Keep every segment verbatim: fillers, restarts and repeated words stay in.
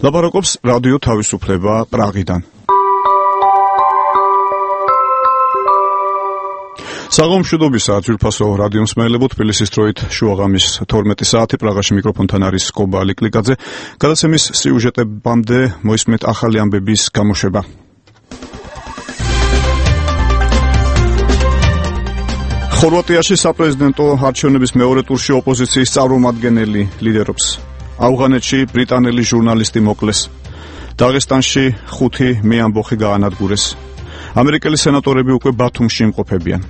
ლაპარაკობს რადიო თავისუფლება პრაღიდან. საღამოშუდობისა ძვირფასო რადიო მსმენელებო, თბილისის დროით შუაღამის თორმეტი საათი, პრაღაში მიკროფონთან არის კობა ლიკლიკაძე. გადაცემის სიუჟეტებამდე მოისმენთ ახალი ამბების გამოშვება. ხორვატიაში საპრეზიდენტო არჩევნების მეორე ტურში ოპოზიციის წარმომადგენელი ლიდერობს. ავღანეთში ბრიტანელი ჟურნალისტი მოკლეს. დაღესტანში ხუთი მეამბოხი გაანადგურეს. ამერიკელი სენატორები უკვე ბათუმში იმყოფებიან.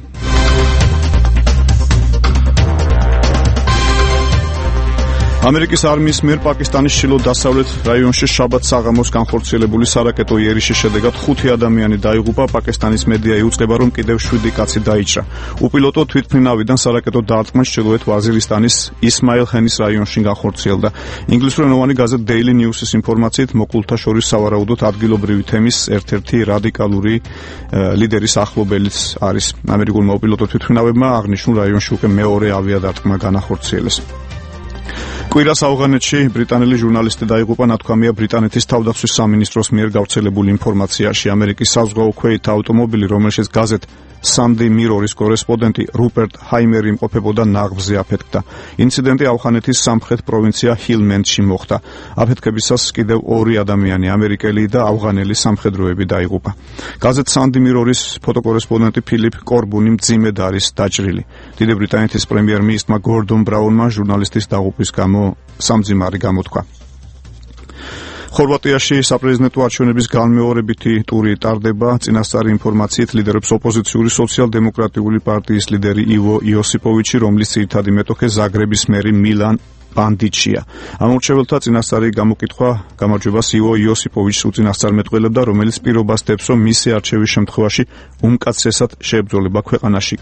ამერიკის არმიის მიერ პაკისტანის ჩრდილო-დასავლეთ რაიონში შაბათ საღამოს განხორციელებული სარაკეტო იერიშის შედეგად ხუთი ადამიანი დაიღუპა. პაკისტანის მედია იუწყება, რომ კიდევ შვიდი კაცი დაიჭრა. უპილოტო თვითმფრინავიდან სარაკეტო დაარტყმა ჩრდილოეთ ვაზირისტანის ისმაილ ხენის რაიონში განხორციელდა. ინგლისურენოვანი გაზეთ Daily News-ის ინფორმაციით, მოკლულთა შორის სავარაუდოდ ადგილობრივი თემის ერთ-ერთი რადიკალური ლიდერის ახლობელიც არის. ამერიკულმა უპილოტო თვითმფრინავებმა აღნიშნულ რაიონში უკვე მეორე ავიადარტყმა განახორციელეს. კვირას ავღანეთში ბრიტანელი ჟურნალისტი დაიღუპა, ნათქვამია ბრიტანეთის თავდაცვის სამინისტროს მიერ გავრცელებული ინფორმაციაში. ამერიკის საზღვაო ქვეით ავტომობილი, რომელშიც გაზეთ Sunday Mirror-ის კორესპონდენტი რუპერტ ჰაიმერი იმყოფებოდა, ნაღბზე აფეთქდა. ინციდენტი ავღანეთის სამხრეთ პროვინცია ჰილმენდში მოხდა. აფეთქებისას კიდევ ორი ადამიანი, ამერიკელი და ავღანელი სამხედროები დაიღუპა. გაზეთ Sunday Mirror-ის ფოტოკორესპონდენტი ფილიპ კორბუნი მძიმედ არის დაჭრილი. დიდი ბრიტანეთის პრემიერ-მინისტრმა გორდონ ბრაუნმა ჟურნალისტის დაღუპვის გამო სამძიმარი გამოთქვა. ხორვატიაში საპრეზიდენტო არჩევნების განმეორებითი ტური ტარდება. წინასწარი ინფორმაციით ლიდერობს ოპოზიციური სოციალ-დემოკრატიული პარტიის ლიდერი ივო იოსიპოვიჩი, რომლის ძირითადი მეტოქე ზაგრების მერი მილან ბანდიჩია. ამორჩეველთა წინასწარი გამოკითხვა გამარჯვებას ივო იოსიპოვიჩს უწინასწარმეტყველებდა, რომელიც პირობას დებს, რომ მისი არჩევის შემთხვევაში უმკაცრესად შეებრძოლება ქვეყანაში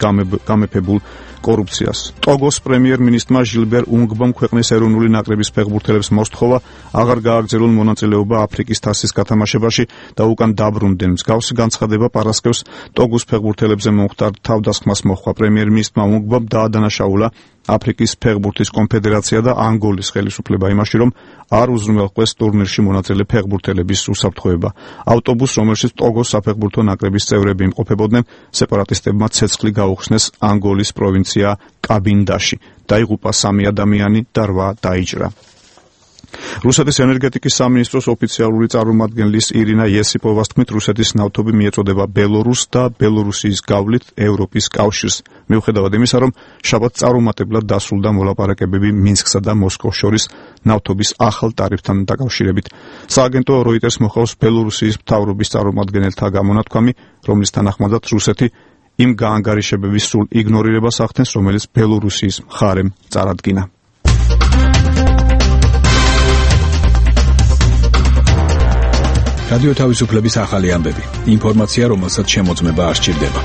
გამეფებულ კორუფციას. ტოგოს პრემიერ-მინისტრმა ჟილბერ უნგბომ ქვეყნის ეროვნული ნაკრების ფეხბურთელებს მოსთხოვა აღარ გააგრძელონ მონაწილეობა აფრიკის თასის გათამაშებაში და უკან დაბრუნდნენ. მსგავსი განცხადება პარასკევს ტოგოს ფეხბურთელებზე მომხდარ თავდასხმას მოჰყვა. პრემიერ-მინისტრმა უნგბომ დაადანაშაულა აფრიკის ფეხბურთის კონფედერაცია და ანგოლის ხელისუფლება იმაში, რომ არ უზრუნველყვეს ტურნირში მონაწილე ფეხბურთელების უსაფრთხოება. ავტობუსს, რომელშიც ტოგოს საფეხბურთო ნაკრების წევრები იმყოფებოდნენ, სეპარატისტებმა ცეცხლი გაუხსნეს ანგოლის პროვინცია კაბინდაში. დაიღუპა სამი ადამიანი და რვა დაიჭრა. რუსეთის ენერგეტიკის სამინისტროს ოფიციალური წარმომადგენლის ირინა იესიპოვას თქმით, რუსეთის ნავთობი მიეწოდება ბელორუსს და ბელორუსიის გავლით ევროპის კავშირს. მიუხედავად იმისა, რომ შაბათს წარუმატებლად დასრულდა მოლაპარაკებები მინსკსა და მოსკოვს შორის ნავთობის ახალ ტარიფთან დაკავშირებით. სააგენტო როიტერს მოხავს ბელორუსიის მთავრობის წარმომადგენელთა გამონათქვამი, რომლის თანახმადაც რუსეთი იმ გაანგარიშებების სრულ იგნორირებას ახდენს, რომელიც ბელორუსიის მხარემ წარადგინა. რადიო თავისუფლების ახალი ამბები. ინფორმაცია, რომელსაც შემოწმება არ სჭირდება.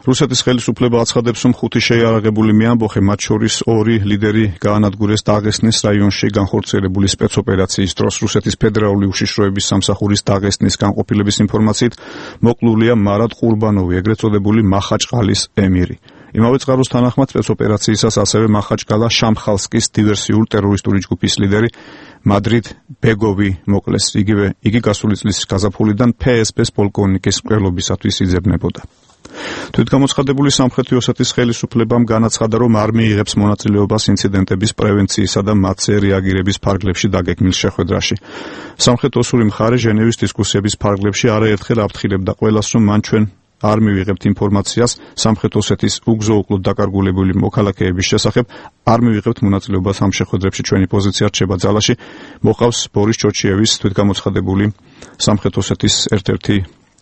რუსეთის ხელისუფლება აცხადებს, რომ ხუთი შეიარაღებული მეამბოხე, მათ შორის ორი ლიდერი გაანადგურეს დაღესტნის რაიონში განხორციელებული სპეცოპერაციის დროს. რუსეთის ფედერალური უშიშროების სამსახურის დაღესტნის განყოფილების ინფორმაციით, მოკლულია მარად ყურბანოვი, ეგრეთ წოდებული მახაჭყალის ემირი. იმავე წყაროს თანახმად სპეცოპერაციისას ასევე მახაჭკალა შამხალსკის დივერსიულ ტერორისტული ჯგუფის ლიდერი მადრიდ ბეგოვი მოკლეს. იგივე იგი გასული წლის გაზაფხულიდან ფე ეს პეს პოლკოვნიკის მკვლელობისათვის იძებნებოდა. თვითგამოცხადებული სამხრეთი ოსეთის ხელისუფლებამ განაცხადა, რომ არ მიიღებს მონაწილეობას ინციდენტების პრევენციისა და მათზე რეაგირების ფარგლებში დაგეგმილ შეხვედრაში. სამხრეთ-ოსური მხარე ჟენევის დისკუსიების ფარგლებში არაერთხელ აფრთხილებდა ყველას, რომ მან ჩვენ არ მივიღებთ ინფორმაციას სამხრეთ ოსეთის უგზო-უკლოდ დაკარგულებული მოქალაქეების შესახებ, არ მივიღებთ მონაწილეობას ამ შეხვედრებში, ჩვენი პოზიცია რჩება ძალაში. მოყავს ბორის ჩოჩიევის თვითგამოცხადებული სამხრეთ ოსეთის ერთ-ერთი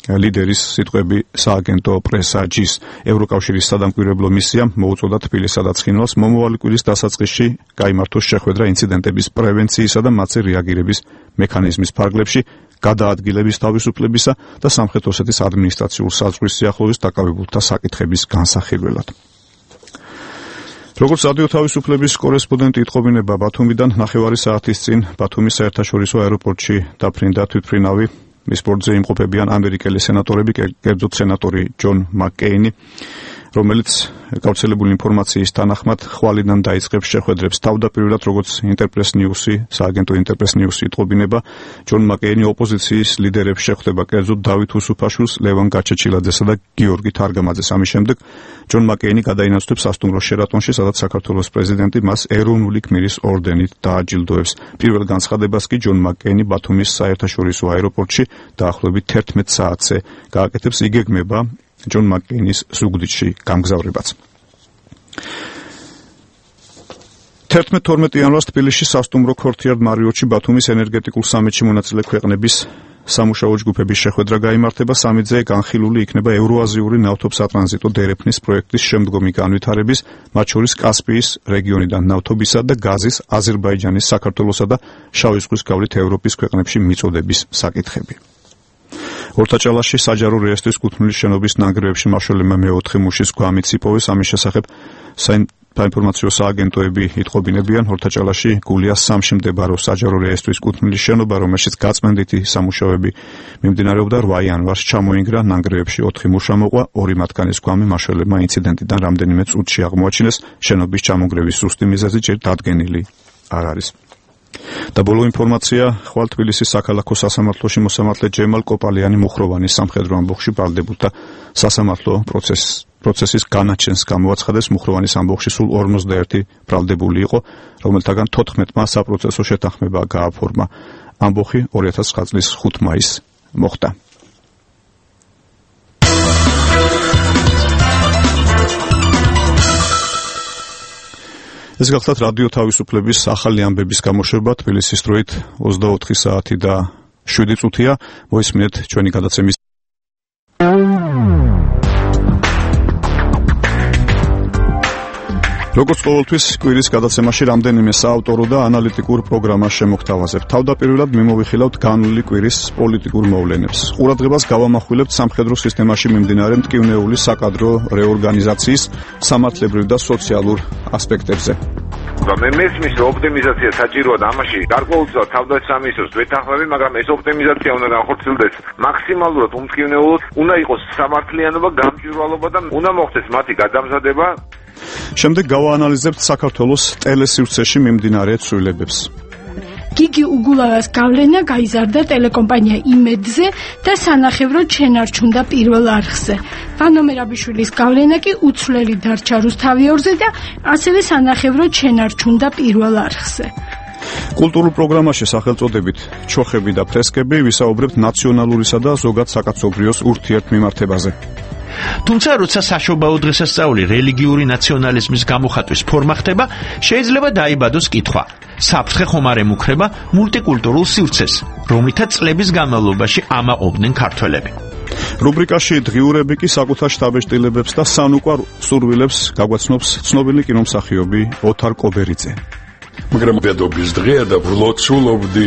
ლიდერის სიტყვები სააგენტო პრესაჯის. ევროკავშირის სადამკვირვებლო მისიამ მოუწოდა თბილისსა და ცხინვალს მომავალი კვირის დასაწყისში გაიმართოს შეხვედრა ინციდენტების პრევენციისა და მათზე რეაგირების მექანიზმის ფარგლებში, გადაადგილების თავისუფლებისა და სამხრეთ ოსეთის ადმინისტრაციულ საზღვრის სიახლოვის დაკავებულთა საკითხების განსახილველად. როგორც რადიო თავისუფლების კორესპონდენტი იტყობინება ბათუმიდან, ნახევარი საათის წინ ბათუმის საერთაშორისო აეროპორტში დაფრინდა თვითმფრინავი. მის ბორტზე იმყოფებიან ამერიკელი სენატორები, კერძოდ სენატორი ჯონ მაკკეინი, რომელიც გავრცელებული ინფორმაციის თანახმად ხვალიდან დაიწყებს შეხვედრებს თავდაპირველად როგორც ინტერპრეს ნიუსი, სააგენტო ინტერპრეს ნიუსი იტყობინება, ჯონ მაკეინი ოპოზიციის ლიდერებს შეხვდება კერძოდ დავით უსუფაშვილს, ლევან გაჩეჩილაძესა და გიორგი თარგამაძეს. ამის შემდეგ ჯონ მაკეინი გადაინაცვლებს სასტუმრო შერატონში, სადაც საქართველოს პრეზიდენტი მას ეროვნული გმირის ორდენით დააჯილდოებს. პირველ განცხადებას კი ჯონ მაკეინი ბათუმის საერთაშორისო აეროპორტში დაახლოებით თერთმეტ საათზე გააკეთებს. იგეგმება ჯონ მაკეინის ზუგდიდში გამგზავრებაც. თერთმეტ თორმეტ იანვარს თბილისში სასტუმრო ქორთიარდ მარიოტში ბათუმის ენერგეტიკულ სამიტში მონაწილე ქვეყნების სამუშაო ჯგუფების შეხვედრა გაიმართება. სამიტზე განხილული იქნება ევროაზიური ნავთობსატრანზიტო დერეფნის პროექტის შემდგომი განვითარების, მათ შორის კასპიის რეგიონიდან ნავთობისა და გაზის აზერბაიჯანის, საქართველოსა და შავი ზღვის გავლით ევროპის ქვეყნებში მიწოდების საკითხები. ორთაჭალაში საჯარო რეესტრის კუთვნილი შენობის ნანგრევებში მაშველებმა მეოთხე მუშის გვამიც იპოვეს. ამის შესახებ საინფორმაციო სააგენტოები იტყობინებიან. ორთაჭალაში გულიას სამში მდებარე საჯარო რეესტრის კუთვნილი შენობა, რომელშიც გაწმენდითი სამუშაოები მიმდინარეობდა, რვა იანვარს ჩამოინგრა. ნანგრევებში ოთხი მუშა მოყვა, ორი მათგანის გვამი მაშველებმა ინციდენტიდან რამდენიმე წუთში აღმოაჩინეს. შენობის ჩამონგრევის ზუსტი მიზეზი ჯერ დადგენილი არ არის. და ბოლო ინფორმაცია, ხვალ თბილისის საქალაქო სასამართლოში მოსამართლე ჯემალ კოპალიანი მუხროვანის სამხედრო ამბოხში ბრალდებულთა სასამართლო პროცესის განაჩენს გამოაცხადეს. მუხროვანის ამბოხში სულ ორმოცდაერთი ბრალდებული იყო, რომელთაგან თოთხმეტმა საპროცესო შეთანხმება გააფორმა. ამბოხი ორი ათას ცხრა წლის ხუთ მაისს მოხდა. ეს გახლავთ რადიო თავისუფლების ახალი ამბების გამოშვება. თბილისის დროით ოცდაოთხი საათი და შვიდი წუთია. მოისმინეთ ჩვენი გადაცემის როგორც ყოველთვის კვირის გადაცემაში რამდენიმე საავტორო და ანალიტიკურ პროგრამას შემოგთავაზებთ. თავდაპირველად მიმოვიხილავთ განვლილი კვირის პოლიტიკურ მოვლენებს. ყურადღებას გავამახვილებთ სამხედრო სისტემაში მიმდინარე მტკივნეული საკადრო რეორგანიზაციის სამართლებრივ და სოციალურ ასპექტებზე. მე მესმის რომ ოპტიმიზაცია საჭიროა და ამაში გარკვეულწილად თავდაცვის ვეთანხმები, მაგრამ ეს ოპტიმიზაცია უნდა განხორციელდეს მაქსიმალურად უმტკივნეულოდ, უნდა იყოს სამართლიანობა, გამჭვირვალობა და უნდა მოხდეს მათი გადამზადება. შემდეგ გავაანალიზებთ საქართველოს ტელესივრცეში მიმდინარე ცვლილებებს. გიგი უგულავას გავლენა გაიზარდა ტელეკომპანია იმედზე და სანახევრო ჩენარჩუნდა პირველ არხზე. ვანო მერაბიშვილის გავლენა კი უცვლელი დარჩა რუსთავიორზე და ასევე სანახევრო ჩენარჩუნდა პირველ არხზე. კულტურულ პროგრამაში სახელწოდებით ჩოხები და ფრესკები ვისაუბრებთ ნაციონალურისა და ზოგად საკაცობრიოს ურთიერთმიმართებაზე. თუმცა როცა საშობაო დღესასწაული რელიგიური ნაციონალიზმის გამოხატვის ფორმა ხდება, შეიძლება დაიბადოს კითხვა: საფრთხე ხომ არ ემუქრება მულტიკულტურულ სივრცეს, რომლითაც წლების განმავლობაში ამაყობდნენ ქართველები? რუბრიკაში დღიურები კი საკუთარ შთაბეჭდილებებს და სანუკვარ სურვილებს გაგვაცნობს ცნობილი კინომსახიობი ოთარ კობერიძე. მაგრამ დედობის დღეა და ვლოცულობდი,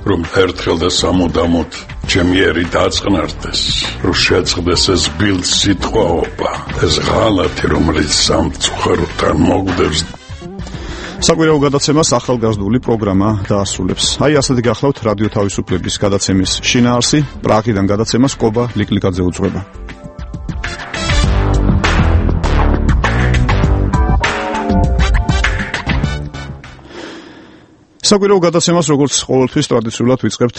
რომ ერთხელ და სამუდამოდ ჩემი ერი დაწყნარდეს, რომ შეწყდეს ეს ბილდ სიტყვაობა, ეს ღალატი, რომელიც სამწუხაროთან მოგდებს. საკვირაო გადაცემას ახალგაზრდული პროგრამა დაასრულებს. აი ასეთი გახლავთ რადიო თავისუფლების გადაცემის შინაარსი. პრაღიდან გადაცემას კობა ლიკლიკაძე უძღვება. საკვირაო გადაცემას როგორც ყოველთვის ტრადიციულად ვიწყებთ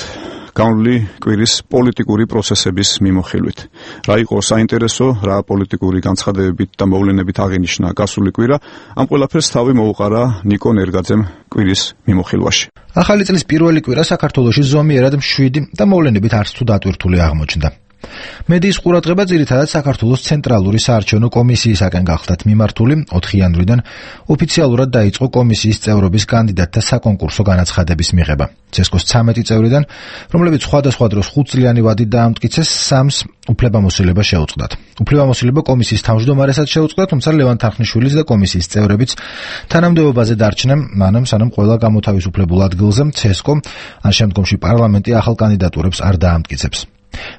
განვლილი კვირის პოლიტიკური პროცესების მიმოხილვით. რა იყო საინტერესო, რა პოლიტიკური განცხადებებით და მოვლენებით აღინიშნა გასული კვირა, ამ ყველაფერს თავი მოუყარა ნიკო ნერგაძემ კვირის მიმოხილვაში. ახალი წლის პირველი კვირა საქართველოში ზომიერად მშვიდი და მოვლენებით არც თუ დატვირთული აღმოჩნდა. მედიის ყურადღება ძირითადად საქართველოს ცენტრალური საარჩევნო კომისიისაკენ გახლდათ მიმართული. ოთხი იანვრიდან ოფიციალურად დაიწყო კომისიის წევრობის კანდიდატთა საკონკურსო განაცხადების მიღება. ცესკოს ცამეტი წევრიდან, რომლებიც სხვადასხვა დროს ხუთწლიანი ვადით დაამტკიცეს, სამს უფლებამოსილება შეუწყდათ. უფლებამოსილება კომისიის თავმჯდომარესაც შეუწყდა, თუმცა ლევან თარხნიშვილის და კომისიის წევრებიც თანამდებობაზე დარჩნენ, მანამ სანამ ყველა გამოთავისუფლებულ ადგილზე ცესკო ან შემდგომში პარლამენტი ახალ კანდიდატურებს არ დაამტკიცებს.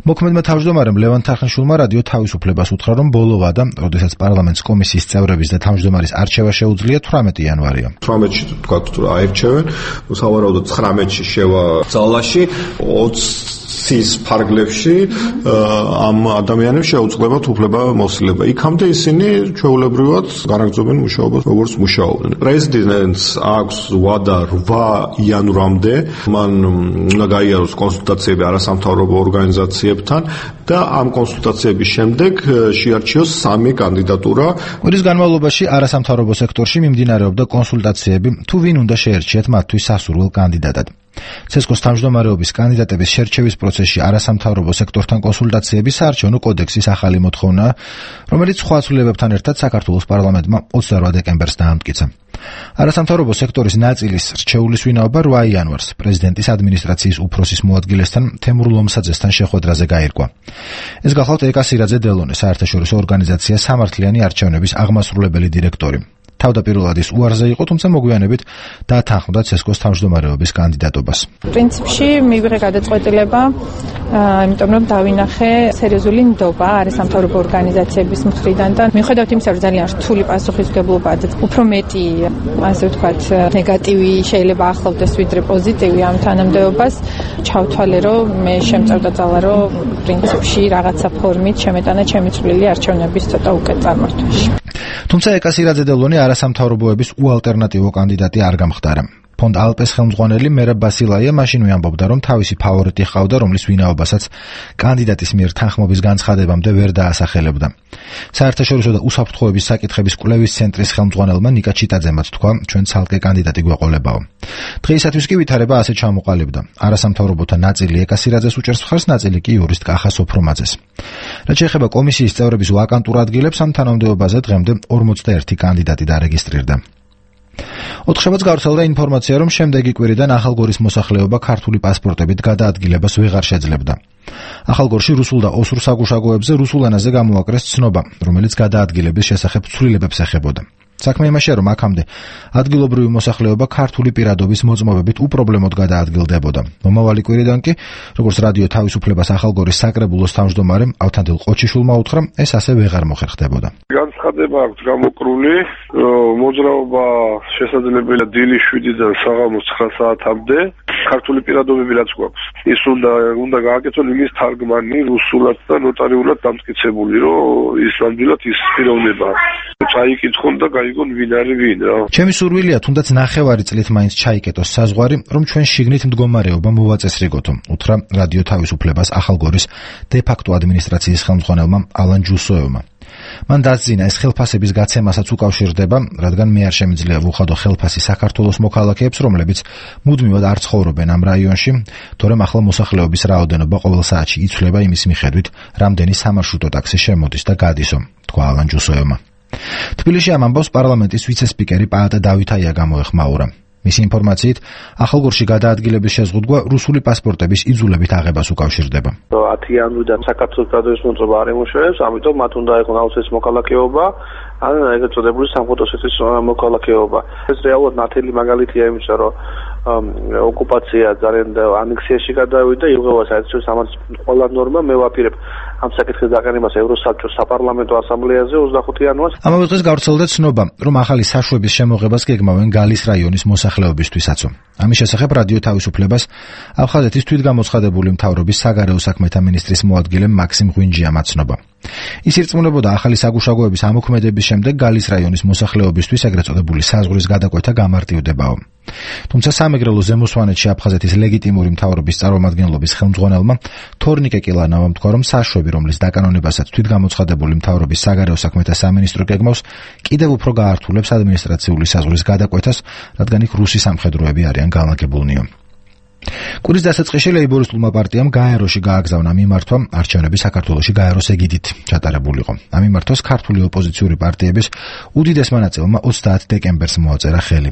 მოქმედმა თავმჯდომარემ ლევან თახნიშვილმა რადიო თავისუფლებას უთხრა, რომ ბოლოვა და როდესაც პარლამენტის კომისიის წევრების და თავმჯდომარის არჩევა შეუძლია თვრამეტი იანვარია. თვრამეტში თქვათ თუ აირჩევენ, სავარაუდოდ ცხრამეტში შევა ძალაში, ოცის ფარგლებში ამ ადამიანებს შეუძლებათ უფლება მოსილება. იქამდე ისინი ჩვეულებრივად განაგრძობენ მუშაობას, როგორც მუშაობდნენ. პრეზიდენტს აქვს ვადა რვა იანვრამდე, მან უნდა გაიაროს კონსულტაციები არასამთავრობო ორგანიზაციებთან და ამ კონსულტაციების შემდეგ შეარჩიოს სამი კანდიდატურა. კვირის განმავლობაში არასამთავრობო სექტორში მიმდინარეობდა კონსულტაციები, თუ ვინ უნდა შეერჩიათ მათთვის სასურველ კანდიდატად. ცესკოს თავმჯდომარეობის კანდიდატების შერჩევის პროცესში არასამთავრობო სექტორთან კონსულტაციები საარჩევნო კოდექსის ახალი მოთხოვნაა, რომელიც სხვა ცვლილებებთან ერთად საქართველოს პარლამენტმა ოცდარვა დეკემბერს დაამტკიცა. არასამთავრობო სექტორის ნაწილის რჩეულის ვინაობა რვა იანვარს პრეზიდენტის ადმინისტრაციის უფროსის მოადგილესთან თემურ ლომსაძესთან შეხვედრაზე გაირკვა. ეს გახლავთ ეკა სირაძე დელონე, საერთაშორისო ორგანიზაცია სამართლიანი არჩევნების აღმასრულებელი დირექტორი. თავდაპირველად ის უარზე იყო, თუმცა მოგვიანებით დაათანხმდა ცესკოს თავმჯდომარეობის კანდიდატობას. პრინციპში მივიღე გადაწყვეტილება, იმიტომ რომ დავინახე სერიოზული ნდობა არასამთავრობო ორგანიზაციების მხრიდან და მიუხედავად იმისა, რომ ძალიან რთული პასუხისმგებლობა და უფრო მეტი, ასე ვთქვათ, ნეგატივი შეიძლება ახლავდეს ვიდრე პოზიტივი ამ თანამდებობას, ჩავთვალე, რომ მე შემწევდა ძალა, რომ პრინციპში რაღაცა ფორმით შემეტანა ჩემი წვლილი არჩევნების ცოტა უკეთ წარმართვაში. თუმცა ეკა სირაძე დელონე არასამთავრობოების უალტერნატივო კანდიდატი არ გამხდარა. ფონდ ალპეს ხელმძღვანელი მერაბ ბასილაია მაშინვე ამბობდა, რომ თავისი ფავორიტი ჰყავდა, რომლის ვინაობასაც კანდიდატის მიერ თანხმობის განცხადებამდე ვერ დაასახელებდა. საერთაშორისო და უსაფრთხოების საკითხების კვლევის ცენტრის ხელმძღვანელმა ნიკა ჩიტაძემაც თქვა, ჩვენ ცალკე კანდიდატი გვეყოლებაო. დღეისათვის კი ვითარება ასე ჩამოყალიბდა. არასამთავრობოთა ნაწილი ეკა სირაძეს უჭერს მხარს, ნაწილი კი იურისტ კახა სოფრომაძეს. რაც შეეხება კომისიის წევრების ვაკანტურ ადგილებს, ამ თანამდებობაზე დღემდე ორმოცდაერთი კანდიდატი დარეგისტრირდა. ოთხშაბათს გავრცელდა ინფორმაცია, რომ შემდეგი კვირიდან ახალგორის მოსახლეობა ქართული პასპორტებით გადაადგილებას ვეღარ შეძლებდა. ახალგორში რუსულ და ოსურ საგუშაგოებზე რუსულ ენაზე გამოაკრეს ცნობა, რომელიც გადაადგილების შესახებ ცვლილებებს ეხებოდა. საქმე იმაშია, რომ აქამდე ადგილობრივი მოსახლეობა ქართული პირადობის მოწმობებით უპრობლემოდ გადაადგილდებოდა. მომავალი კვირიდან კი, როგორც რადიო თავისუფლებას ახალგორის საკრებულოს თავმჯდომარემ ავთანდილ ყოჩიშვილმა უთხრა, ეს ასე ვეღარ მოხერხდებოდა. განცხადება აქვს გამოკრული, მოძრაობა შესაძლებელია დილის შვიდიდან საღამოს ცხრა საათამდე. ქართული პირადობები რაც გვაქვს, ის უნდა უნდა გააკეთონ იმის თარგმანი რუსულად და ნოტარიულად დამტკიცებული, რომ ის ნამდვილად ის პიროვნება წაიკითხონ და გაიგონ ვინ არის ვინ რა. ჩემი სურვილია თუნდაც ნახევარი წლით მაინც ჩაიკეტოს საზღვარი, რომ ჩვენ შიგნით მდგომარეობა მოვაწესრიგოთო, უთხრა რადიო თავისუფლებას ახალგორის დე-ფაქტო ადმინისტრაციის ხელმძღვანელმა ალან ჯუსოევმა. მან დასძინა, ეს ხელფასების გაცემასაც უკავშირდება, რადგან მე არ შემიძლია ვუხადო ხელფასი საქართველოს მოქალაქეებს, რომლებიც მუდმივად არ ცხოვრობენ ამ რაიონში, თორემ ახლა მოსახლეობის რაოდენობა ყოველ საათში იცვლება იმის მიხედვით, რამდენი სამარშრუტო ტაქსი შემოდის და გადისო, თქვა ალან ჯუსოევმა. თბილისში ამ ამბავს პარლამენტის ვიცე-სპიკერი პაატა დავითაია გამოეხმაურა. მისი ინფორმაციით, ახალგორში გადაადგილების შეზღუდვა რუსული პასპორტების იძულებით აღებას უკავშირდება. ათი იანვრიდან საქართველოს პირადობის მოწმობა არ ემუშავებს, ამიტომ მათ უნდა იყოს აუცილებლად მოქალაქეობა, ან ეგრეთ წოდებული სამხატვრო მოქალაქეობა. ეს რეალურად ნათელი მაგალითია იმისა, რომ ოკუპაცია ძალიან ანექსიაში გადავიდა, იღება საერთაშორისო სამართლის ყველა ნორმა, მე ვაპირებ ამ საკითხის დაყენებას ევროსაბჭოს საპარლამენტო ასამბლეაზე ოცდახუთი იანვარს. ამავე დღეს გავრცელდა ცნობა, რომ ახალი საშვების შემოღებას გეგმავენ გალის რაიონის მოსახლეობისთვისაცო. ამის შესახებ რადიო თავისუფლებას აფხაზეთის თვითგამოცხადებული მთავრობის საგარეო საქმეთა მინისტრის მოადგილე მაქსიმ ღვინჯიამ აცნობა. ის ირწმუნებოდა, ახალი საგუშაგოების ამოქმედების შემდეგ გალის რაიონის მოსახლეობისთვის ეგრეთ წოდებული საზღვრის გადაკვეთა გამარტივდებაო. თუმცა სამეგრელო ზემოსვანეთში აფხაზეთის ლეგიტიმური მთავრობის წარმომადგენლობის ხელმძღვანელმა თორნიკე კილანავამ თქვა, რომ საშვები, რომლის დაკანონებასაც თვითგამოცხადებული მთავრობის საგარეო საქმეთა სამინისტრო გეგმავს, კიდევ უფრო გაართულებს ადმინისტრაციული საზღვრის გადაკვეთას, რადგან იქ რუსი სამხედროები არიან განლაგებულნიო. კვირის დასაწყისში ლეიბორისტულმა პარტიამ გაეროში გააგზავნა მიმართვა არჩევნები საქართველოში გაეროს ეგიდით ჩატარებულიყო. ამ მიმართვას ქართული ოპოზიციური პარტიების უდიდესმა ნაწილმა ოცდაათ დეკემბერს მოაწერა ხელი.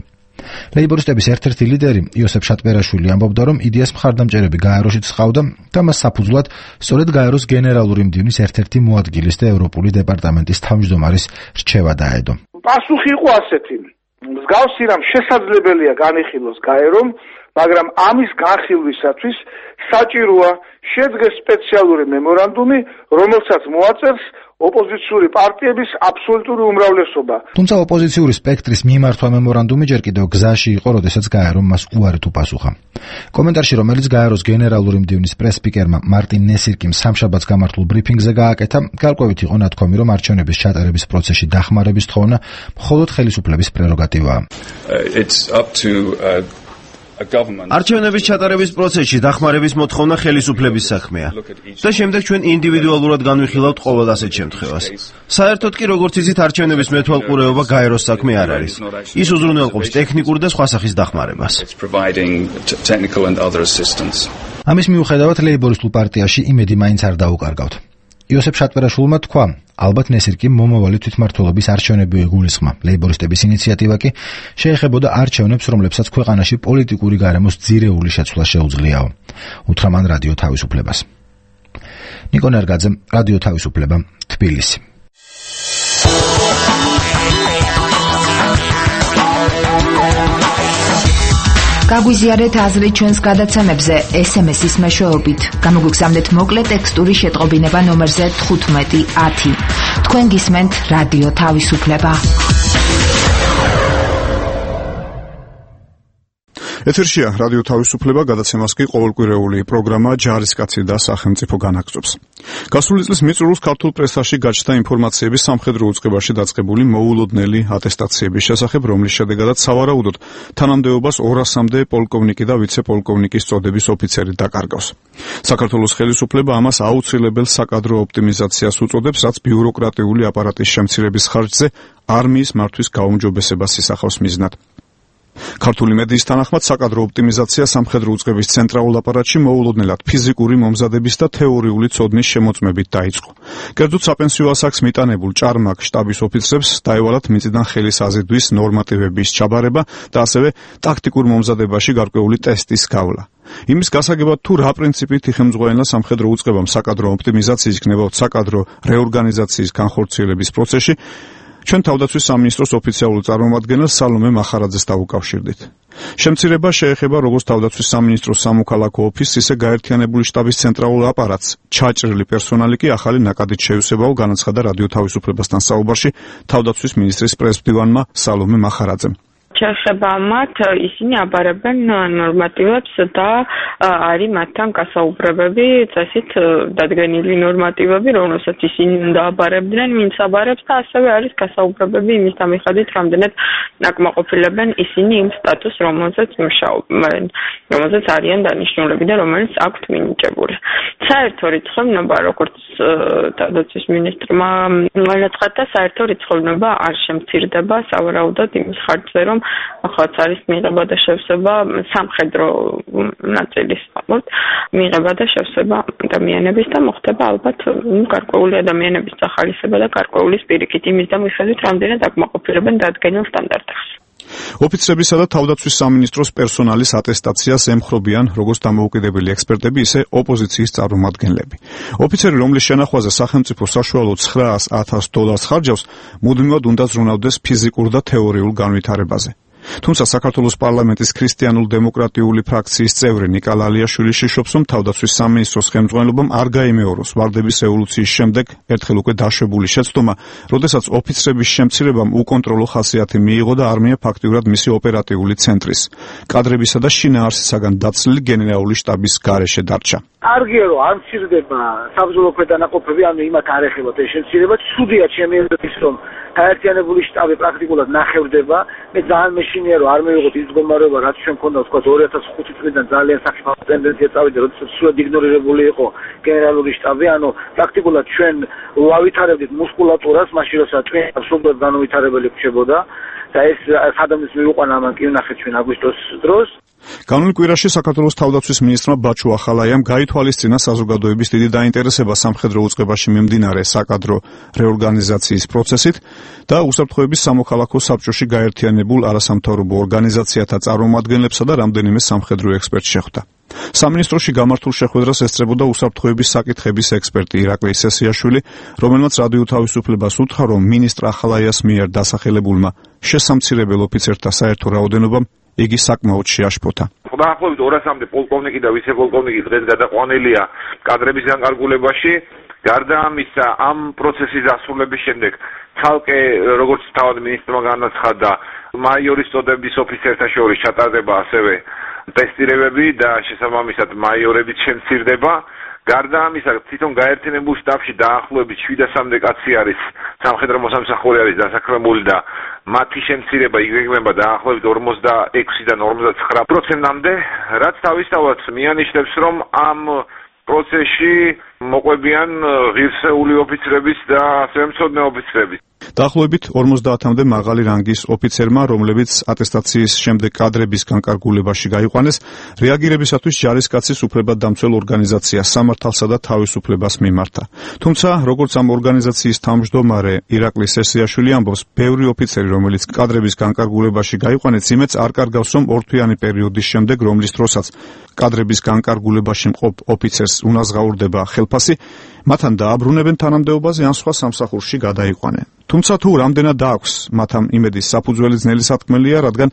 ლეიბორისტების ერთ-ერთი ლიდერი იოსებ შატბერაშვილი ამბობდა, რომ იდეას მხარდამჭერები გაეროშიც ჰყავდა და მას საფუძვლად სწორედ გაეროს გენერალური მდივნის ერთ-ერთი მოადგილის და ევროპული დეპარტამენტის თავმჯდომარის რჩევა დაედო. პასუხი იყო ასეთი: მსგავსი რამ შესაძლებელია განიხილოს გაერომ, მაგრამ ამის განხილვისათვის საჭიროა შედგეს სპეციალური მემორანდუმი, რომელსაც მოაწერს ოპოზიციური პარტიების აბსოლუტური უმრავლესობა. თუმცა ოპოზიციური სპექტრის მიმართვა მემორანდუმი ჯერ კიდევ გზაში იყო, როდესაც გაერომ მას უარით უპასუხა. კომენტარში, რომელიც გაეროს გენერალური მდივნის პრეს-სპიკერმა მარტინ ნესირკიმ სამშაბათს გამართულ ბრიფინგზე გააკეთა, გარკვევით იყო ნათქვამი, რომ არჩევნების ჩატარების პროცესში დახმარების თხოვნა მხოლოდ ხელისუფლების პრეროგატივაა. არჩევნების ჩატარების პროცესში დახმარების მოთხოვნა ხელისუფლების საქმეა და შემდეგ ჩვენ ინდივიდუალურად განვიხილავთ ყოველ ასეთ შემთხვევას. საერთოდ კი როგორც იცით, არჩევნების მეთვალყურეობა გაეროს საქმე არ არის. ის უზრუნველყოფს ტექნიკურ და სხვა სახის დახმარებას. ამის მიუხედავად ლეიბორისტულ პარტიაში იმედი მაინც არ დაუკარგავთ. იოსებ შატვერაშვილმა თქვა, ალბათ ნესირკიმ მომავალი თვითმმართველობის არჩევნები ეგულისხმა. ლეიბორისტების ინიციატივა კი შეეხებოდა არჩევნებს, რომლებსაც ქვეყანაში პოლიტიკური გარემოს ძირეული შეცვლა შეუძლიაო. უთხრა მან რადიო თავისუფლებას. ნიკო ნერგაძე, რადიო თავისუფლება, თბილისი. გაგვიზიარეთ აზრი ჩვენს გადაცემებზე ეს ემ ესის მეშვეობით. გამოგვიგზავნეთ მოკლე ტექსტური შეტყობინება ნომერზე თხუთმეტი ათი. თქვენ გისმენთ რადიო თავისუფლება. ეთერშია რადიო თავისუფლება, გადაცემას კი ყოველკვირეული პროგრამა ჯარისკაცი და სახელმწიფო განაგრძობს. გასული წლის მიწურულს ქართულ პრესაში გაჩნდა ინფორმაციები სამხედრო უწყებაში დაწყებული მოულოდნელი ატესტაციების შესახებ, რომლის შედეგადაც სავარაუდოდ თანამდებობას ორასამდე პოლკოვნიკი და ვიცე-პოლკოვნიკის წოდების ოფიცერი დაკარგავს. საქართველოს ხელისუფლება ამას აუცილებელ საკადრო ოპტიმიზაციას უწოდებს, რაც ბიუროკრატიული აპარატის შემცირების ხარჯზე არმიის მართვის გაუმჯობესებას ისახავს მიზნად. ქართული მედიის თანახმად საკადრო ოპტიმიზაცია სამხედრო უწყების ცენტრალურ აპარატში მოულოდნელად ფიზიკური მომზადების და თეორიული ცოდნის შემოწმებით დაიწყო. კერძოდ საპენსიო ასაკს მიტანებულ ჭარმაკ შტაბის ოფიცრებს დაევალათ მიწიდან ხელის აზიდვის ნორმატივების ჩაბარება და ასევე ტაქტიკურ მომზადებაში გარკვეული ტესტის გავლა. იმის გასაგებად თუ რა პრინციპით იხელმძღვანელა სამხედრო უწყებამ საკადრო ოპტიმიზაციის იქნებოდა საკადრო რეორგანიზაციის განხორციელების პროცესში, ჩვენ თავდაცვის სამინისტროს ოფიციალურ წარმომადგენელს სალომე მახარაძეს დავუკავშირდით. შემცირება შეეხება როგორც თავდაცვის სამინისტროს სამოქალაქო ოფისს, ისე გაერთიანებული შტაბის ცენტრალურ აპარატს. ჩაჭრილი პერსონალი კი ახალი ნაკადით შეუსებაო, განაცხადა რადიო თავისუფლებასთან საუბარში თავდაცვის მინისტრის პრეს-მდივანმა სალომე მახარაძემ. შეეხება მათ, ისინი აბარებენ ნორმატივებს და არის მათთან გასაუბრებები, წესით დადგენილი ნორმატივები, რომელსაც ისინი უნდა აბარებდნენ, ვინც აბარებს და ასევე არის გასაუბრებები იმის დამიხადით, რამდენად ნაკმაყოფილებენ ისინი იმ სტატუსს, რომელზეც მუშაობენ, რომელზეც არიან დანიშნულები და რომელიც აქვთ მინიჭებული. საერთო რიცხოვნობა, როგორც თავდაცვის მინისტრმა განაცხადა, საერთო რიცხოვნობა არ შემცირდება, სავარაუდოდ იმის ხარჯზე, რომ ახალაც არის მიღება და შევსება სამხედრო ნაწილის ფორმით, მიღება და შევსება ადამიანების და მოხდება ალბათ გარკვეული ადამიანების სახალისება და გარკვეული სპირიკით იმის და მიხედვით, რამდენად აკმაყოფილებენ დადგენილ სტანდარტებს. ოფიცრებისა და თავდაცვის სამინისტროს პერსონალის ატესტაციას ემხრობიან როგორც დამოუკიდებელი ექსპერტები, ისე ოპოზიციის წარმომადგენლები. ოფიცერი, რომლის შენახვაზე სახელმწიფო საშუალოდ ცხრაას ათას დოლარს ხარჯავს, მუდმივად უნდა ზრუნავდეს ფიზიკურ და თეორიულ განვითარებაზე. თუმცა საქართველოს პარლამენტის ქრისტიანულ-დემოკრატიული ფრაქციის წევრი ნიკა ლალიაშვილი შიშობს, რომ თავდაცვის სამინისტროს ხელმძღვანელობამ არ გაიმეოროს ვარდების ევოლუციის შემდეგ ერთხელ უკვე დაშვებული შეცდომა, როდესაც ოფიცრების შემცირებამ უკონტროლო ხასიათი მიიღო და არმია ფაქტიურად მისი ოპერატიული ცენტრის, კადრებისა და შინაარსისაგან დაცლილი გენერალური შტაბის გარეშე დარჩა. არგია რომ არ მცირდება საბრძოლო ქვედანაყოფები, ანუ იმათ არ ეხებათ ეს შემცირება, ცუდია ჩემი აზრით, რომ გაერთიანებული შტაბი პრაქტიკულად ნახევდება. მე ძალიან მეშინია რომ არ მივიღოთ ის მდგომარეობა, რაც ჩვენ ქონდა თქვა ორი ათას ხუთი წლიდან ძალიან საფრთხე ტენდენცია წავიდა, როდესაც სულ იგნორირებული იყო გენერალური შტაბი, ანუ პრაქტიკულად ჩვენ ვავითარებდით მუსკულატურას, მაშინ როცა ტვინს სულდად განუვითარებელი რჩებოდა და ეს სადამის მივიყვანა ამან კი ვნახეთ ჩვენ აგვისტოს დროს. განულ კვირაში საქართველოს თავდაცვის მინისტრმა ბაჩუ ახალაიამ გაითვალისწინა საზოგადოების დიდი დაინტერესება სამხედრო უწყებაში მიმდინარე საკადრო რეორგანიზაციის პროცესით და უსაფრთხოების სამოქალაქო საბჭოში გაერთიანებულ არასამთავრობო ორგანიზაციათა წარმომადგენლებსა და რამდენიმე სამხედრო ექსპერტს შეხვდა. სამინისტროში გამართულ შეხვედრას ესწრებოდა უსაფრთხოების საკითხების ექსპერტი ირაკლი სესიაშვილი, რომელმაც რადიო თავისუფლებას უთხრა, რომ მინისტრ ახალაიას მიერ დასახელებულმა შესამცირებელ ოფიცერთა საერთო რაოდენობამ იგი საკმაოდ შეაშფოთა. დაახლოებით ორასამდე პოლკოვნიკი და ვიცე-პოლკოვნიკი დღეს გადაყვანილია კადრების განკარგულებაში. გარდა ამისა, ამ პროცესის დასრულების შემდეგ ცალკე როგორც თავად მინისტრმა განაცხადა, მაიორის წოდების ოფიცერთა შორის ჩატარდება ასევე ტესტირებები და შესაბამისად მაიორებიც შემცირდება. გარდა ამისა, თვითონ გაერთიანებულ შტაბში დაახლოებით შვიდასამდე კაცი არის, სამხედრო მოსამსახური არის დასაქმებული და მათი შემცირება იგეგმება დაახლოებით ორმოცდაექვსიდან ორმოცდათხრა პროცენტამდე, რაც თავისთავად მიანიშნებს, რომ ამ პროცესში მოყვებიან ღირსეული ოფიცრების და ასევე მცოდნე ოფიცრების. დაახლოებით ორმოცდაათამდე მაღალი რანგის ოფიცერმა, რომლებიც ატესტაციის შემდეგ კადრების განკარგულებაში გაიყვანეს, რეაგირებისათვის ჯარისკაცის უფლებადამცველ ორგანიზაციას სამართალსა და თავისუფლებას მიმართა. თუმცა, როგორც ამ ორგანიზაციის თავმჯდომარე ირაკლი სესიაშვილი ამბობს, ბევრი ოფიცერი, რომელიც კადრების განკარგულებაში გაიყვანეს, იმედს არ კარგავს, რომ ორთვიანი პერიოდის შემდეგ, რომლის დროსაც კადრების განკარგულებაში მყოფ ოფიცერს უნაზღაურდება ხელფასი, მათთან დააბრუნებენ თანამდებობაზე ან სხვა სამსახურში გადაიყვანენ. თუმცა თუ რამდენად დააქვს მათ ამ იმედის საფუძველი ძნელი სათქმელია, რადგან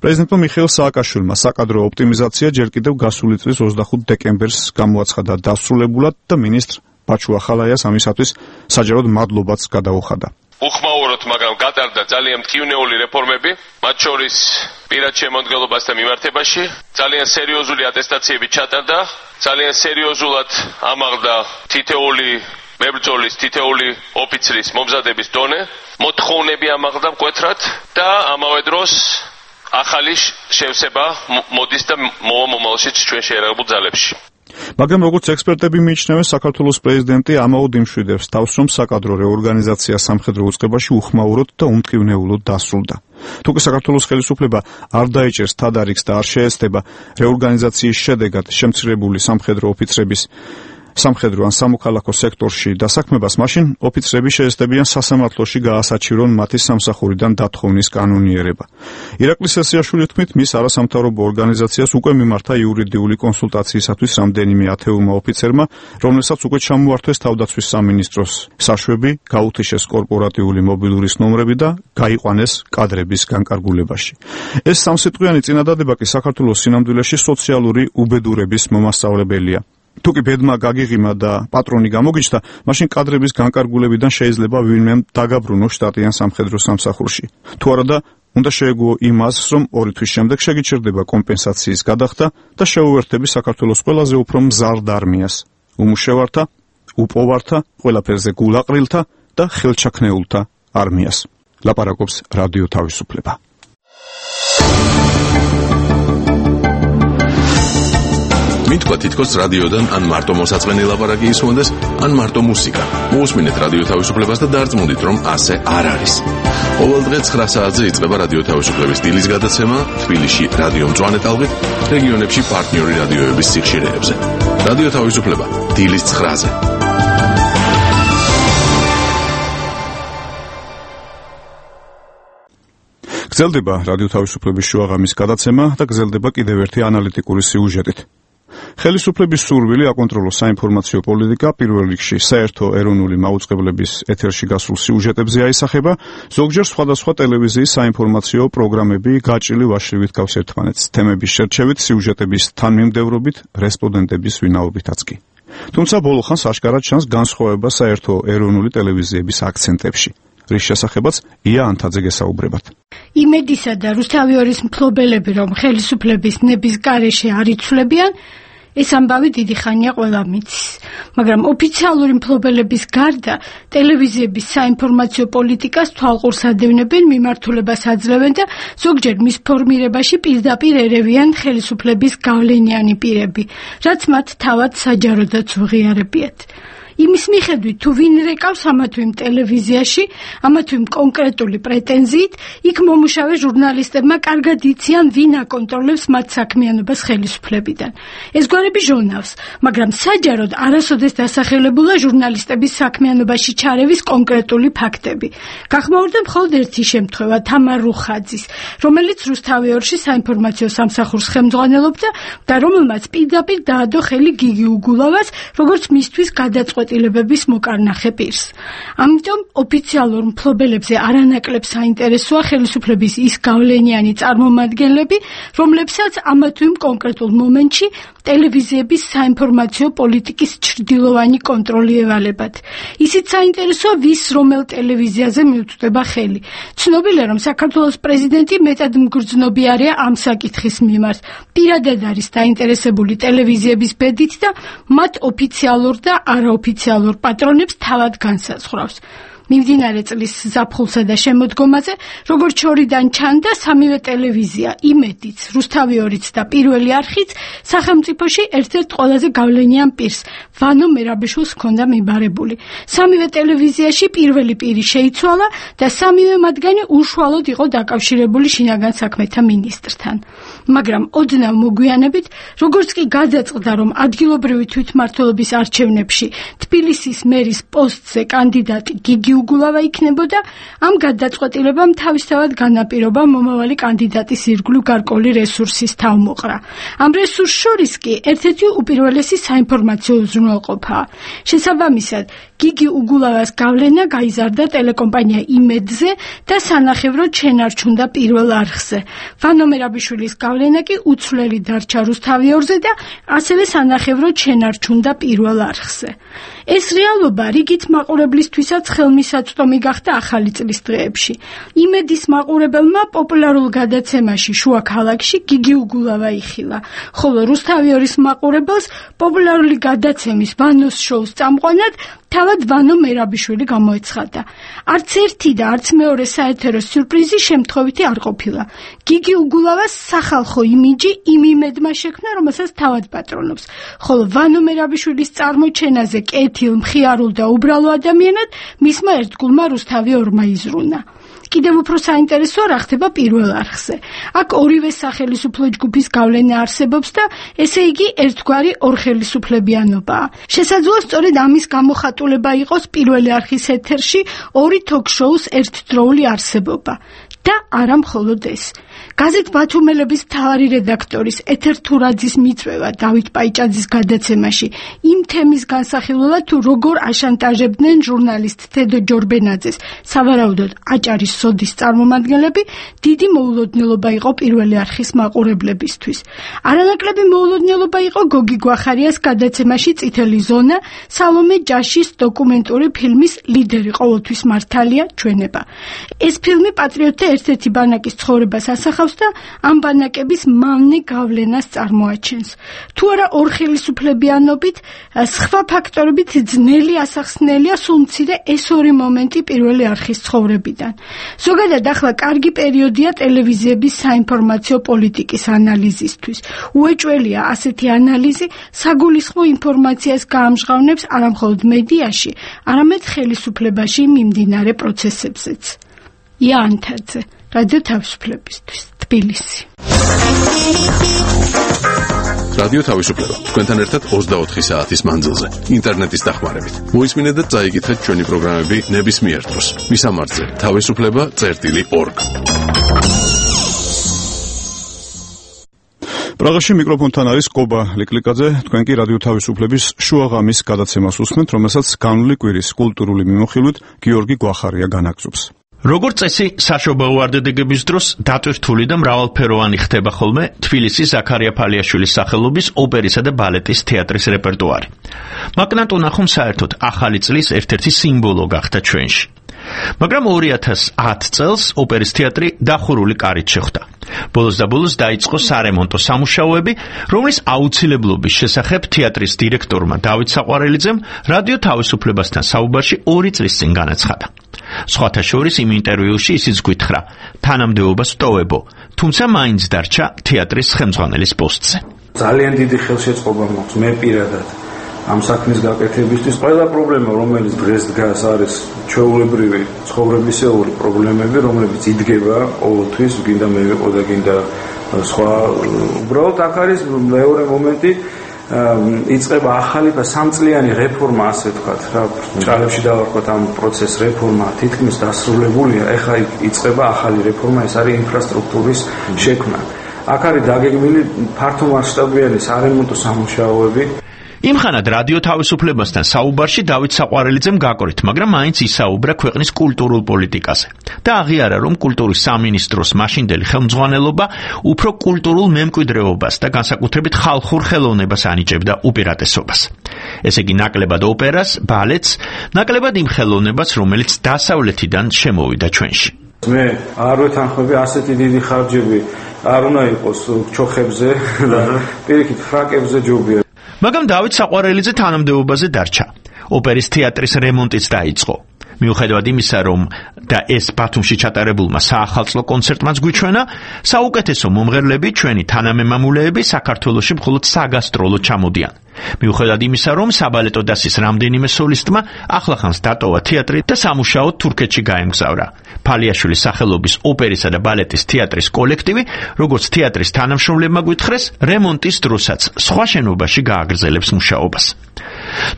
პრეზიდენტმა მიხეილ სააკაშვილმა საკადრო ოპტიმიზაცია ჯერ კიდევ გასული წლის ოცდახუთ დეკემბერს გამოაცხადა დასრულებულად და მინისტრ ბაჩუ ახალაიას ამისათვის საჯაროდ მადლობაც გადაუხადა. უხმაუროთ, მაგრამ გატარდა ძალიან მტკივნეული რეფორმები, მათ შორის პირად შემოდგენლობასთან მიმართებაში, ძალიან სერიოზული ატესტაციები ჩატარდა, ძალიან სერიოზულად ამაღლდა თითოეული მებრძოლის, თითოეული ოფიცრის მომზადების დონე, მოთხოვნები ამაღლდა მკვეთრად და ამავე დროს ახალი შევსება მოდის და მოვა მომავალშიც ჩვენ შეერაღებულ ძალებში. მაგრამ როგორც ექსპერტები მიიჩნევენ, საქართველოს პრეზიდენტი ამაოდ იმშვიდებს თავს, რომ საკადრო რეორგანიზაცია სამხედრო უწყებაში უხმაუროდ და უმტკივნეულოდ დასრულდა. თუკი საქართველოს ხელისუფლება არ დაიჭერს თადარიგს და არ შეეცდება რეორგანიზაციის შედეგად შემცირებული სამხედრო ოფიცრების სამხედრო ან სამოქალაქო სექტორში დასაქმებას, მაშინ ოფიცრები შეეცდებიან სასამართლოში გაასაჩივრონ მათი სამსახურიდან დათხოვნის კანონიერება. ირაკლი სესიაშვილის თქმით, მის არასამთავრობო ორგანიზაციას უკვე მიმართა იურიდიული კონსულტაციისათვის რამდენიმე ათეულმა ოფიცერმა, რომლებსაც უკვე ჩამოართვეს თავდაცვის სამინისტროს საშვები, გაუთიშეს კორპორატიული მობილურის ნომრები და გაიყვანეს კადრების განკარგულებაში. ეს სამსიტყვიანი წინადადება კი საქართველოს სინამდვილეში სოციალური უბედურების მომასწავლებელია. თუკი ბედმა გაგიღიმა და პატრონი გამოგიჩნდა, მაშინ კადრების განკარგულებიდან შეიძლება ვინმე დაგაბრუნოს შტატიან სამხედრო სამსახურში. თუ არადა, უნდა შეეგუო იმ აზრს, რომ ორი თვის შემდეგ შეგიჩერდება კომპენსაციის გადახდა და შეუერთები საქართველოს ყველაზე უფრო მზარდ არმიას, უმუშევართა, უპოვართა, ყველაფერზე გულაყრილთა და ხელჩაქნეულთა არმიას. ლაპარაკობს რადიო თავისუფლება. მითქვა თითქოს რადიოდან ან მარტო მოსაწყენი ლაპარაკი ისმონდეს, ან მარტო მუსიკა. მოусმინეთ რადიო თავისუფლებას და დარწმუნდით, რომ ასე არ არის. ყოველ დღე ცხრა საათზე იწყება რადიო თავისუფლების დილის გადაცემა, თბილისში რადიო მწვანე ტალღით, რეგიონებში პარტნიორი რადიოების სიხშირეებზე. რადიო თავისუფლება დილის ცხრაზე. გრძელდება რადიო თავისუფლების შუაღამის გადაცემა და გრძელდება კიდევ ერთი ანალიტიკური სიუჟეტით. ხელისუფლების სურვილი აკონტროლოს საინფორმაციო პოლიტიკა პირველ რიგში საერთო ეროვნული მაუწყებლების ეთერში გასულ სიუჟეტებზე აისახება, ზოგჯერ სხვადასხვა ტელევიზიის საინფორმაციო პროგრამები გაჭრილი ვაშლივით გავს ერთმანეთს, თემების შერჩევით, სიუჟეტების თანმიმდევრობით, რესპონდენტების ვინაობითაც კი. თუმცა ბოლო ხანს აშკარად ჩანს განსხვავება საერთო ეროვნული ტელევიზიების აქცენტებში. რის შესახებაც ია ანთაძე გესაუბრებათ. იმედისა და რუსთავიორის მფლობელები, რომ ხელისუფლების ნების გარეშე არ იცვლებიან, ეს ამბავი დიდი ხანია ყველა მიცის. მაგრამ ოფიციალური მფლობელების გარდა ტელევიზიების საინფორმაციო პოლიტიკას თვალყურს ადევნებენ, მიმართულებას აძლევენ და ზოგჯერ მის ფორმირებაში პირდაპირ ერევიან ხელისუფლების გავლენიანი პირები, რაც მათ თავად საჯაროდაც უღიარებიათ. იმის მიხედვით, თუ ვინ რეკავს ამა თუ იმ ტელევიზიაში, ამა თუ იმ კონკრეტული პრეტენზიით, იქ მომუშავე ჟურნალისტებმა კარგად იციან, ვინ აკონტროლებს მათ საქმიანობას ხელისუფლებიდან. ეს გვარები ჟონავს, მაგრამ საჯაროდ არასოდეს დასახელებულა ჟურნალისტების საქმიანობაში ჩარევის კონკრეტული ფაქტები. გახმაურდა მხოლოდ ერთი შემთხვევა, თამარ რუხაძის, რომელიც რუსთავიორში საინფორმაციო სამსახურს ხელმძღვანელობდა და რომელმაც პირდაპირ დაადო ხელი გიგი უგულავას, როგორც მისთვის გადაწყვეტილ გადაწყვეტილებების მოკარნახე პირს. ამიტომ ოფიციალურ მფლობელებზე არანაკლებ საინტერესოა ხელისუფლების ის გავლენიანი წარმომადგენლები, რომლებსაც ამა თუ იმ კონკრეტულ მომენტში ტელევიზიების საინფორმაციო პოლიტიკის ჩრდილოვანი კონტროლი ევალებათ. ისიც საინტერესოა ვის რომელ ტელევიზიაზე მიუწვდება ხელი. ცნობილია, რომ საქართველოს პრეზიდენტი მეტად მგრძნობიარეა ამ საკითხის მიმართ. პირადად არის დაინტერესებული ტელევიზიების ბედით და მათ ოფიციალურ და არაოფიციალურ პატრონებს თავად განსაზღვრავს. მიმდინარე წლის ზაფხულსა და შემოდგომაზე, როგორც შორიდან ჩანდა, სამივე ტელევიზია, იმედიც, რუსთავი ორიც და პირველი არხიც სახელმწიფოში ერთ-ერთ ყველაზე გავლენიან პირს, ვანო მერაბიშვილს ჰქონდა მიბარებული. სამივე ტელევიზიაში პირველი პირი შეიცვალა და სამივე მათგანი უშუალოდ იყო დაკავშირებული შინაგან საქმეთა მინისტრთან. მაგრამ ოდნავ მოგვიანებით, როგორც კი გადაწყდა, რომ ადგილობრივი თვითმმართველობის არჩევნებში თბილისის მერის პოსტზე კანდიდატი გიგი უგულავა იქნებოდა, ამ გადაწყვეტილებამ თავისთავად განაპირობა მომავალი კანდიდატის ირგვლივ გარკვეული რესურსის თავმოყრა. ამ რესურს შორის კი ერთ-ერთი უპირველესი საინფორმაციო უზრუნველყოფაა. შესაბამისად, გიგი უგულავას გავლენა გაიზარდა ტელეკომპანია იმედზე და სანახევროდ შენარჩუნდა პირველ არხზე. ვანო მერაბიშვილის გავლენა კი უცვლელი დარჩა რუსთავი ორზე და ასევე სანახევროდ შენარჩუნდა პირველ არხზე. ეს რეალობა რიგით მაყურებლისთვისაც ხელმისაწვდომი გახდა ახალი წლის დღეებში. იმედის მაყურებელმა პოპულარულ გადაცემაში შუა ქალაქში გიგი უგულავა იხილა, ხოლო რუსთავი ორის მაყურებელს პოპულარული გადაცემის ვანოს შოუს წამყვანად თავად ვანო მერაბიშვილი გამოეცხადა. არც ერთი და არც მეორე საეთერო სიურპრიზი შემთხვევითი არ ყოფილა. გიგი უგულავას სახალხო იმიჯი იმ იმედმა შექმნა, რომელსაც თავად პატრონობს, ხოლო ვანო მერაბიშვილის წარმოჩენაზე კეთილ, მხიარულ და უბრალო ადამიანად მისმა ერთგულმა რუსთავი ორმა იზრუნა. კიდევ უფრო საინტერესოა რა ხდება პირველ არხზე. აქ ორივე სახელისუფლო ჯგუფის გავლენა არსებობს და ესე იგი ერთგვარი ორხელისუფლებიანობაა. შესაძლოა სწორედ ამის გამოხატულება იყოს პირველი არხის ეთერში ორი თოქ-შოუს ერთდროული არსებობა. და არა მხოლოდ ეს. გაზეთ ბათუმელების მთავარი რედაქტორის ეთერ თურაძის მიწვევა დავით პაიჭაძის გადაცემაში იმ თემის განსახილველად თუ როგორ აშანტაჟებდნენ ჟურნალისტ თედო ჯორბენაძეს, სავარაუდოდ აჭარის სოდის წარმომადგენლები, დიდი მოულოდნელობა იყო პირველი არხის მაყურებლებისთვის. არანაკლები მოულოდნელობა იყო გოგი გვახარიას გადაცემაში წითელი ზონა, სალომე ჯაშის დოკუმენტური ფილმის ლიდერი ყოველთვის მართალია ჩვენება. ეს ფილმი პატრიოტთა ერთ-ერთი ბანაკის ცხოვრებას ასახავს და ამ ბანაკების მავნე გავლენას წარმოაჩენს. თუ არა ორხელისუფლებიანობით, სხვა ფაქტორებით ძნელი ასახსნელია სულ მცირე ეს ორი მომენტი პირველი არხის ცხოვრებიდან. ზოგადად ახლა კარგი პერიოდია ტელევიზიების საინფორმაციო პოლიტიკის ანალიზისთვის. უეჭველია ასეთი ანალიზი საგულისხმო ინფორმაციას გაამჟღავნებს არა მხოლოდ მედიაში, არამედ ხელისუფლებაში მიმდინარე პროცესებზეც. იანთაძე, რადიო თავისუფლებისთვის, თბილისი. რადიო თავისუფლება. თქვენთან ერთად ოცდაოთხი საათის მანძილზე, ინტერნეტის დახმარებით. მოისმინეთ და წაიკითხეთ ჩვენი პროგრამები ნებისმიერ დროს. მისამართზე თავისუფლება წერტილი ორგ. პრაღაში მიკროფონთან არის კობა ლიკლიკაძე, თქვენ კი რადიო თავისუფლების შუაღამის გადაცემას უსმენთ, რომელსაც განვლი კვირის კულტურული მიმოხილვით გიორგი გვახარია განაგზობს. როგორც წესი, საშობაო ვარდადეგების დროს დატვირთული და მრავალფეროვანი ხდება ხოლმე თბილისის ზაქარია ფალიაშვილის სახელობის ოპერისა და ბალეტის თეატრის რეპერტუარი. მაკნატ უნახუმ საერთოდ ახალი წლის ერთ-ერთი სიმბოლო გახდა ჩვენში. მაგრამ ორი ათას ათ წელს ოპერის თეატრი დახურული კარით შეხვდა. ბოლოს და ბოლოს დაიწყო სარემონტო სამუშაოები, რომლის აუცილებლობის შესახებ თეატრის დირექტორმა დავით საყვარელიძემ რადიო თავისუფლებასთან საუბარში ორი წლის წინ განაცხადა. სხვათა შორის იმ ინტერვიუში ისიც გვითხრა, თანამდებობას ვტოვებო, თუმცა მაინც დარჩა თეატრის ხელმძღვანელის პოსტზე. ძალიან დიდი ხელშეწყობა მაქვს მე პირადად ამ საქმის გაკეთებისთვის. ყველა პრობლემა, რომელიც დღეს დგას, არის ჩვეულებრივი ცხოვრებისეული პრობლემები, რომლებიც იდგება ყოველთვის, გინდა მე ვიყო და გინდა სხვა. უბრალოდ აქ არის მეორე მომენტი, იწყება ახალი სამწლიანი რეფორმა, ასე ვთქვათ, რა ჭრალებში დავარქვათ ამ პროცესს, რეფორმა თითქმის დასრულებულია, ეხლა იწყება ახალი რეფორმა, ეს არის ინფრასტრუქტურის შექმნა. აქ არის დაგეგმილი ფართომასშტაბიანი სარემონტო სამუშაოები. იმხანად რადიო თავისუფლებასთან საუბარში დავით საყვარელიძემ გაკვრით, მაგრამ მაინც ისაუბრა ქვეყნის კულტურულ პოლიტიკაზე და აღიარა, რომ კულტურის სამინისტროს მაშინდელი ხელმძღვანელობა უფრო კულტურულ მემკვიდრეობას და განსაკუთრებით ხალხურ ხელოვნებას ანიჭებდა უპირატესობას. ესე იგი, ნაკლებად ოპერას, ბალეტს, ნაკლებად იმ ხელოვნებას, რომელიც დასავლეთიდან შემოვიდა ჩვენში. მე არ ვეთანხმები ასეთი დიდი ხარჯები არ უნდა იყოს ჩოხებზე და პირიქით ფრაკებზე ჯობია. მაგრამ დავით საყვარელიძე თანამდებობაზე დარჩა. ოპერის თეატრის რემონტიც დაიწყო. მიუხედავად იმისა, რომ და ეს ბათუმში ჩატარებულმა საახალწლო კონცერტმაც გვიჩვენა, საუკეთესო მომღერლები, ჩვენი თანამემამულეები საქართველოში მხოლოდ საგასტროლო ჩამოდიან. მიუხედავად იმისა, რომ საბალეტო დასის რამდენიმე სოლისტმა ახლახანს დატოვა თეატრი და სამუშაოდ თურქეთში გაემგზავრა. ფალიაშვილის სახელობის ოპერისა და ბალეტის თეატრის კოლექტივი, როგორც თეატრის თანამშრომლებმა გვითხრეს, რემონტის დროსაც სხვა შენობაში გააგრძელებს მუშაობას.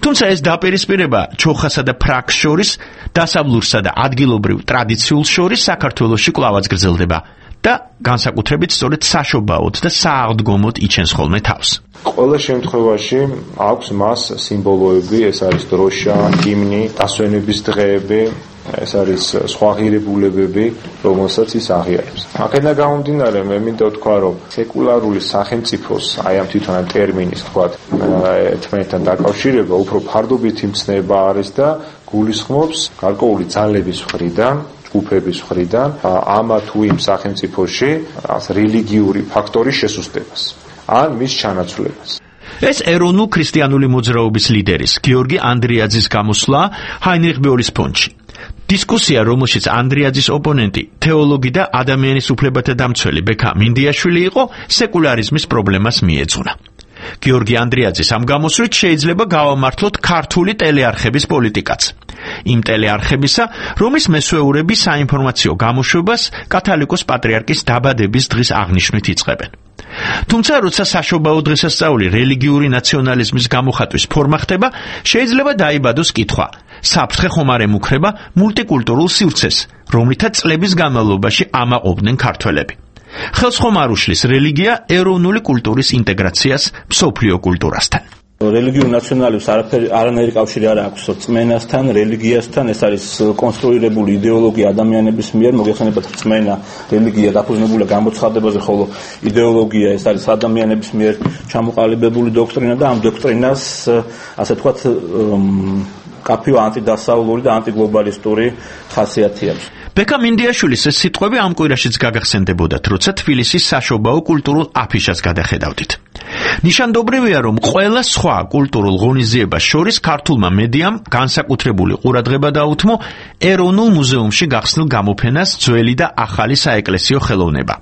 თუმცა ეს დაპირისპირება ჩოხასა და ფრაკს შორის, დასავლურსა და ადგილობრივ ტრადიციულს შორის საქართველოში კვლავაც გრძელდება და განსაკუთრებით სწორედ საშობაოდ და სააღდგომოდ იჩენს ხოლმე თავს. ყველა შემთხვევაში აქვს მას სიმბოლოები, ეს არის დროშა, ჰიმნი, დასვენების დღეები, ეს არის სხვა ღირებულებები, რომელსაც ის აღიარებს. აქედან გამომდინარე, მე მინდა ვთქვა, რომ სეკულარული სახელმწიფოს, აი ამ თვითონ ამ ტერმინის თქვა, ერთმანეთთან დაკავშირება უფრო ფარდობითი მცნება არის და გულისხმობს გარკვეული ძალების მხრიდან, ჯგუფების მხრიდან, ამა თუ იმ სახელმწიფოში რელიგიური ფაქტორის შესუსტებას ან მის ჩანაცვლებას. ეს ეროვნულ ქრისტიანული მოძრაობის ლიდერის გიორგი ანდრიაძის გამოსვლა ჰაინრიხ ბეოლის ფონდში. დისკუსია, რომელშიც ანდრიაძის ოპონენტი, თეოლოგი და ადამიანის უფლებათა დამცველი ბექა მინდიაშვილი იყო, სეკულარიზმის პრობლემას მიეძღვნა. გიორგი ანდრიაძის ამ გამოსვლით შეიძლება გავამართლოთ ქართული ტელეარხების პოლიტიკაც. იმ ტელეარხებისა, რომლის მესვეურები საინფორმაციო გამოშვებას კათალიკოს პატრიარქის დაბადების დღის აღნიშვნით იწყებენ. თუმცა, როცა საშობაო დღესასწაული რელიგიური ნაციონალიზმის გამოხატვის ფორმა ხდება, შეიძლება დაიბადოს კითხვა: საფრთხე ხომ არ ემუქრება მულტიკულტურულ სივრცეს, რომლითაც წლების განმავლობაში ამაყობდნენ ქართველები? ხელს ხომ არ უშლის რელიგია ეროვნული კულტურის ინტეგრაციას მსოფლიო კულტურასთან? რელიგიურ ნაციონალიზმს არაფერი არანაირი კავშირი არ აქვს რწმენასთან, რელიგიასთან. ეს არის კონსტრუირებული იდეოლოგია ადამიანების მიერ. მოგეხსენებათ, რწმენა, რელიგია დაფუძნებულია გამოცხადებაზე, ხოლო იდეოლოგია ეს არის ადამიანების მიერ ჩამოყალიბებული დოქტრინა და ამ დოქტრინას, ასე ვთქვათ, კაფეო ანტიდასავლური და ანტიგლობალისტური ხასიათი აქვს. ბექა მინდიაშვილის ეს სიტყვები ამ კვირაშიც გაგახსენდებოდათ, როცა თბილისის საშობაო კულტურულ აფიშას გადახედავდით. ნიშანდობრივია, რომ ყველა სხვა კულტურულ ღონისძიებას შორის ქართულმა მედიამ განსაკუთრებული ყურადღება დაუთმო ეროვნულ მუზეუმში გახსნილ გამოფენას ძველი და ახალი საეკლესიო ხელოვნება,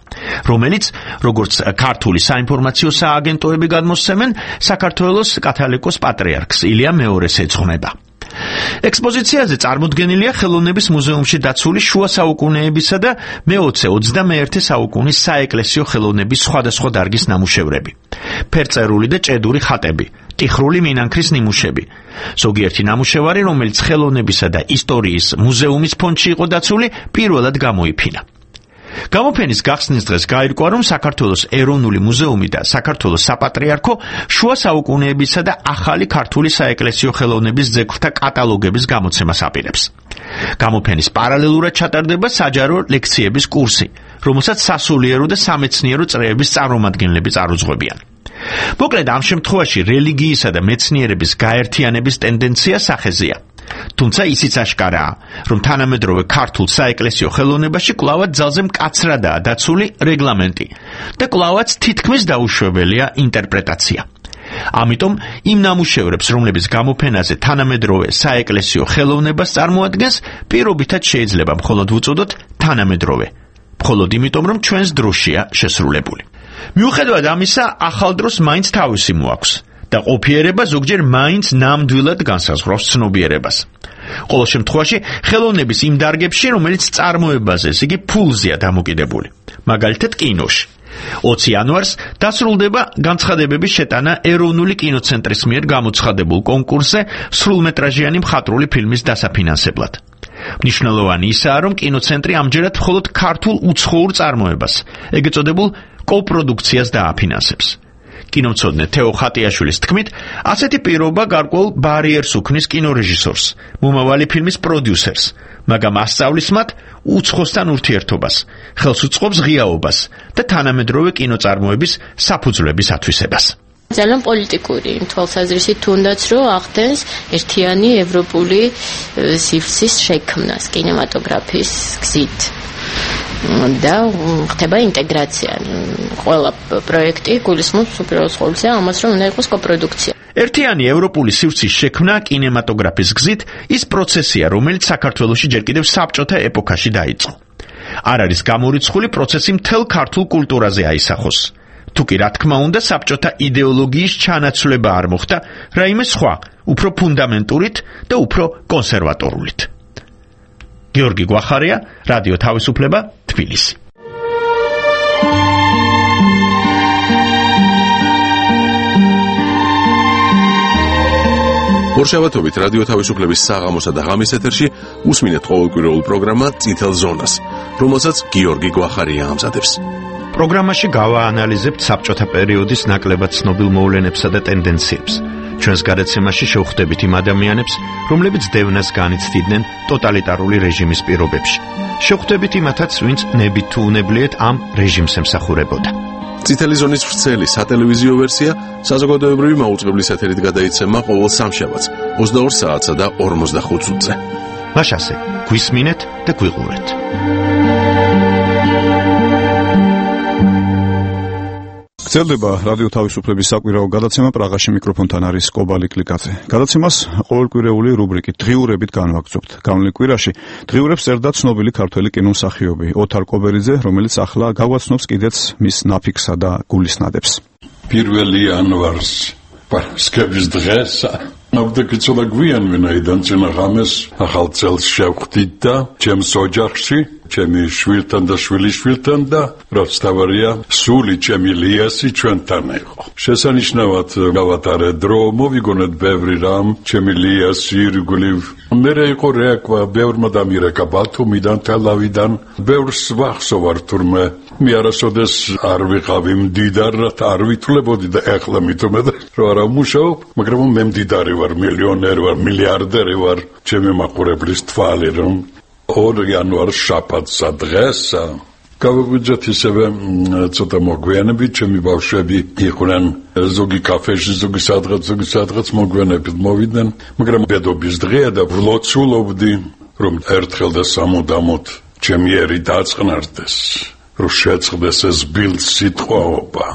რომელიც, როგორც ქართული საინფორმაციო სააგენტოები გადმოსცემენ, საქართველოს კათალიკოს პატრიარქს ილია მეორეს ეძღვნება. ექსპოზიციაზე წარმოდგენილია ხელოვნების მუზეუმში დაცული შუა საუკუნეებისა და მეოცე ოცდამეერთე საუკუნის საეკლესიო ხელოვნების სხვადასხვა დარგის ნამუშევრები, ფერწერული და ჭედური ხატები, ტიხრული მინანქრის ნიმუშები. ზოგიერთი ნამუშევარი, რომელიც ხელოვნებისა და ისტორიის მუზეუმის ფონდში იყო დაცული, პირველად გამოიფინა. გამოფენის გახსნის დღეს გაირკვა, რომ საქართველოს ეროვნული მუზეუმი და საქართველოს საპატრიარქო შუა საუკუნეებისა და ახალი ქართული საეკლესიო ხელოვნების ძეგლთა კატალოგების გამოცემას აპირებს. გამოფენის პარალელურად ჩატარდება საჯარო ლექციების კურსი, რომელსაც სასულიერო და სამეცნიერო წრეების წარმომადგენლები წარუძღვებიან. მოკლედ, ამ შემთხვევაში რელიგიისა და მეცნიერების გაერთიანების ტენდენცია სახეზეა. თუმცა ისიც აშკარაა, რომ თანამედროვე ქართულ საეკლესიო ხელოვნებაში კვლავაც ძალზე მკაცრადაა დაცული რეგლამენტი და კვლავაც თითქმის დაუშვებელია ინტერპრეტაცია. ამიტომ იმ ნამუშევრებს, რომლების გამოფენაზე თანამედროვე საეკლესიო ხელოვნებას წარმოადგენს, პირობითად შეიძლება მხოლოდ ვუწოდოთ თანამედროვე, მხოლოდ იმიტომ, რომ ჩვენს დროშია შესრულებული. მიუხედავად ამისა, ახალ დროს მაინც თავისი მოაქვს და ყოფიერება ზოგჯერ მაინც ნამდვილად განსაზღვრავს ცნობიერებას. ყოველ შემთხვევაში, ხელოვნების იმ დარგებში, რომელიც წარმოებაზე, ესე იგი ფულზეა დამოკიდებული. მაგალითად, კინოში. ოცი იანვარს დასრულდება განცხადებების შეტანა ეროვნული კინოცენტრის მიერ გამოცხადებულ კონკურსზე სრულმეტრაჟიანი მხატვრული ფილმის დასაფინანსებლად. მნიშვნელოვანი ისაა, რომ კინოცენტრი ამჯერად მხოლოდ ქართულ უცხოურ წარმოებას, ეგეც წოდებულ კოპროდუქციას დააფინანსებს. კინომცოდნე თეო ხატიაშვილის თქმით, ასეთი პირობა გარკვეულ ბარიერს უქმნის კინორეჟისორს, მომავალი ფილმის პროდიუსერს, მაგრამ ასწავლის მათ უცხოსთან ურთიერთობას, ხელს უწყობს ღიაობას და თანამედროვე კინოწარმოების საფუძვლების ათვისებას. ძალიან პოლიტიკური თვალსაზრისით თუნდაც რომ ახდენს ერთიანი ევროპული სივრცის შექმნას კინემატოგრაფიის გზით. და ხდება ინტეგრაცია. ყველა პროექტი გულისხმობს უპირველეს ყოვლისა ამას, რომ უნდა იყოს კოპროდუქცია. ერთიანი ევროპული სივრცის შექმნა კინემატოგრაფის გზით ის პროცესია, რომელიც საქართველოში ჯერ კიდევ საბჭოთა ეპოქაში დაიწყო. არ არის გამორიცხული პროცესი მთელ ქართულ კულტურაზე აისახოს. თუკი რა თქმა უნდა საბჭოთა იდეოლოგიის ჩანაცვლება არ მოხდა, რაიმე სხვა, უფრო ფუნდამენტურით და უფრო კონსერვატორულით. გიორგი გვახარია, რადიო თავისუფლება, თბილისი. ორშაბათობით რადიო თავისუფლების საღამოსა და ღამის ეთერში უსმინეთ ყოველკვირეულ პროგრამა წითელ ზონას, რომელსაც გიორგი გვახარია ამზადებს. პროგრამაში გავაანალიზებთ საბჭოთა პერიოდის ნაკლებად ცნობილ მოვლენებსა და ტენდენციებს. ჩვენს გადაცემაში შევხვდებით იმ ადამიანებს, რომლებიც დევნას განიცდიდნენ ტოტალიტარული რეჟიმის პირობებში. შევხვდებით იმათაც, ვინც ნებით თუ უნებლიეთ ამ რეჟიმს ემსახურებოდა. წითელი ზონის ვრცელი სატელევიზიო ვერსია საზოგადოებრივი მაუწყებლის ეთერით გადაიცემა ყოველ სამშაბათს ოცდაორ საათსა და ორმოცდახუთ წუთზე. მაშასე, გვისმინეთ და გვიყურეთ. გრძელდება რადიო თავისუფლების საკვირაო გადაცემა. პრაღაში მიკროფონთან არის კობალი კლიკაძე. გადაცემას ყოველკვირეული რუბრიკით დღიურებით განვაგრძობთ. გავლენილ კვირაში დღიურებს წერდა ცნობილი ქართველი კინომსახიობი ოთარ კობერიძე, რომელიც ახლა გავაცნობს კიდეც მის ნაფიქსა და გულისნადებს. პირველი იანვარს პარასკევის დღესა ნავდაკიცოლა გვიან ვინაიდან წინა ღამეს ახალ წელს შევხვდით და ჩემს ოჯახში ჩემი შვილთან და შვილიშვილთან და რაც თავარია სული ჩემი ლიასი ჩვენთან იყო. შესანიშნავად გავატარე დრო, მოვიგონეთ ბევრი რამ, ჩემი ლიასი ირგვლივ. მერე იყო რეაქვა ბევრმა დამირეკა ბათუმიდან, თელავიდან, ბევრს ვახსოვარ თურმე მე არასოდეს არ ვიყავი მდიდარად, არ ვითვლებოდი და ეხლა მithumed რომ არა ვმუშაობ, მაგრამ მე მდიდარი ვარ, მილიონერი ვარ, მილიარდერი ვარ, ჩემი მაყურებლის თვალი რომ ორ იანვარს შაბათსა დღესა გავაგვიძეთ ისევე ცოტა მოგვიანებით, ჩემი ბავშვები იყვნენ ზოგი კაფეში, ზოგი სადღაც, ზოგი სადღაც მოგვიანებით მოვიდნენ, მაგრამ დედობის დღეა და ვლოცულობდი რომ ერთხელ და სამუდამოდ ჩემი ერი დაწყნარდეს, რომ შეწყდეს ეს ბილდ სიტყვაობა,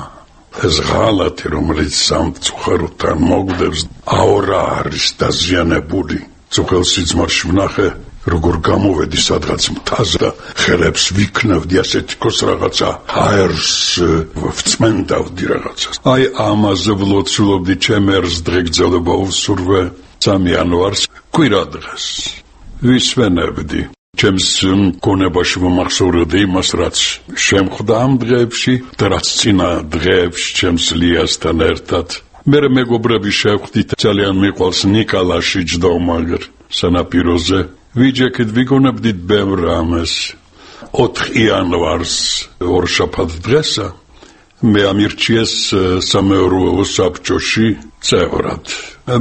ეს ღალატი, რომელიც სამწუხაროთან მოგდებს, აორა არის დაზიანებული. წუხელ სიძმარში ვნახე როგორ გამოვედი სადღაც მთაზე და ხელებს ვიქნევდი ასეთი კოს რაღაცა ჰაერს ვწმენდავდი რაღაცას. აი ამაზე ვლოცულობდი ჩემ ერს დღე გრძელდება უსურვე სამი იანვარს კვირა დღეს ვისვენებდი. ჩემს გონებაში მომახსოვრებდი იმას, რაც შემხვდა ამ დღეებში და რაც წინა დღეებში ჩემს ლიასთან ერთად. მე მეგობრები შევხვდით, ძალიან მიყვარს ნიკალაში ჯდომაგერ სანაპიროზე. ვიჯექით ვიგონებდით ბევრ რამეს. ოთხ იანვარს ორშაბათ დღესა მე ამირჩიეს სამეურვეო საბჭოში წევრად.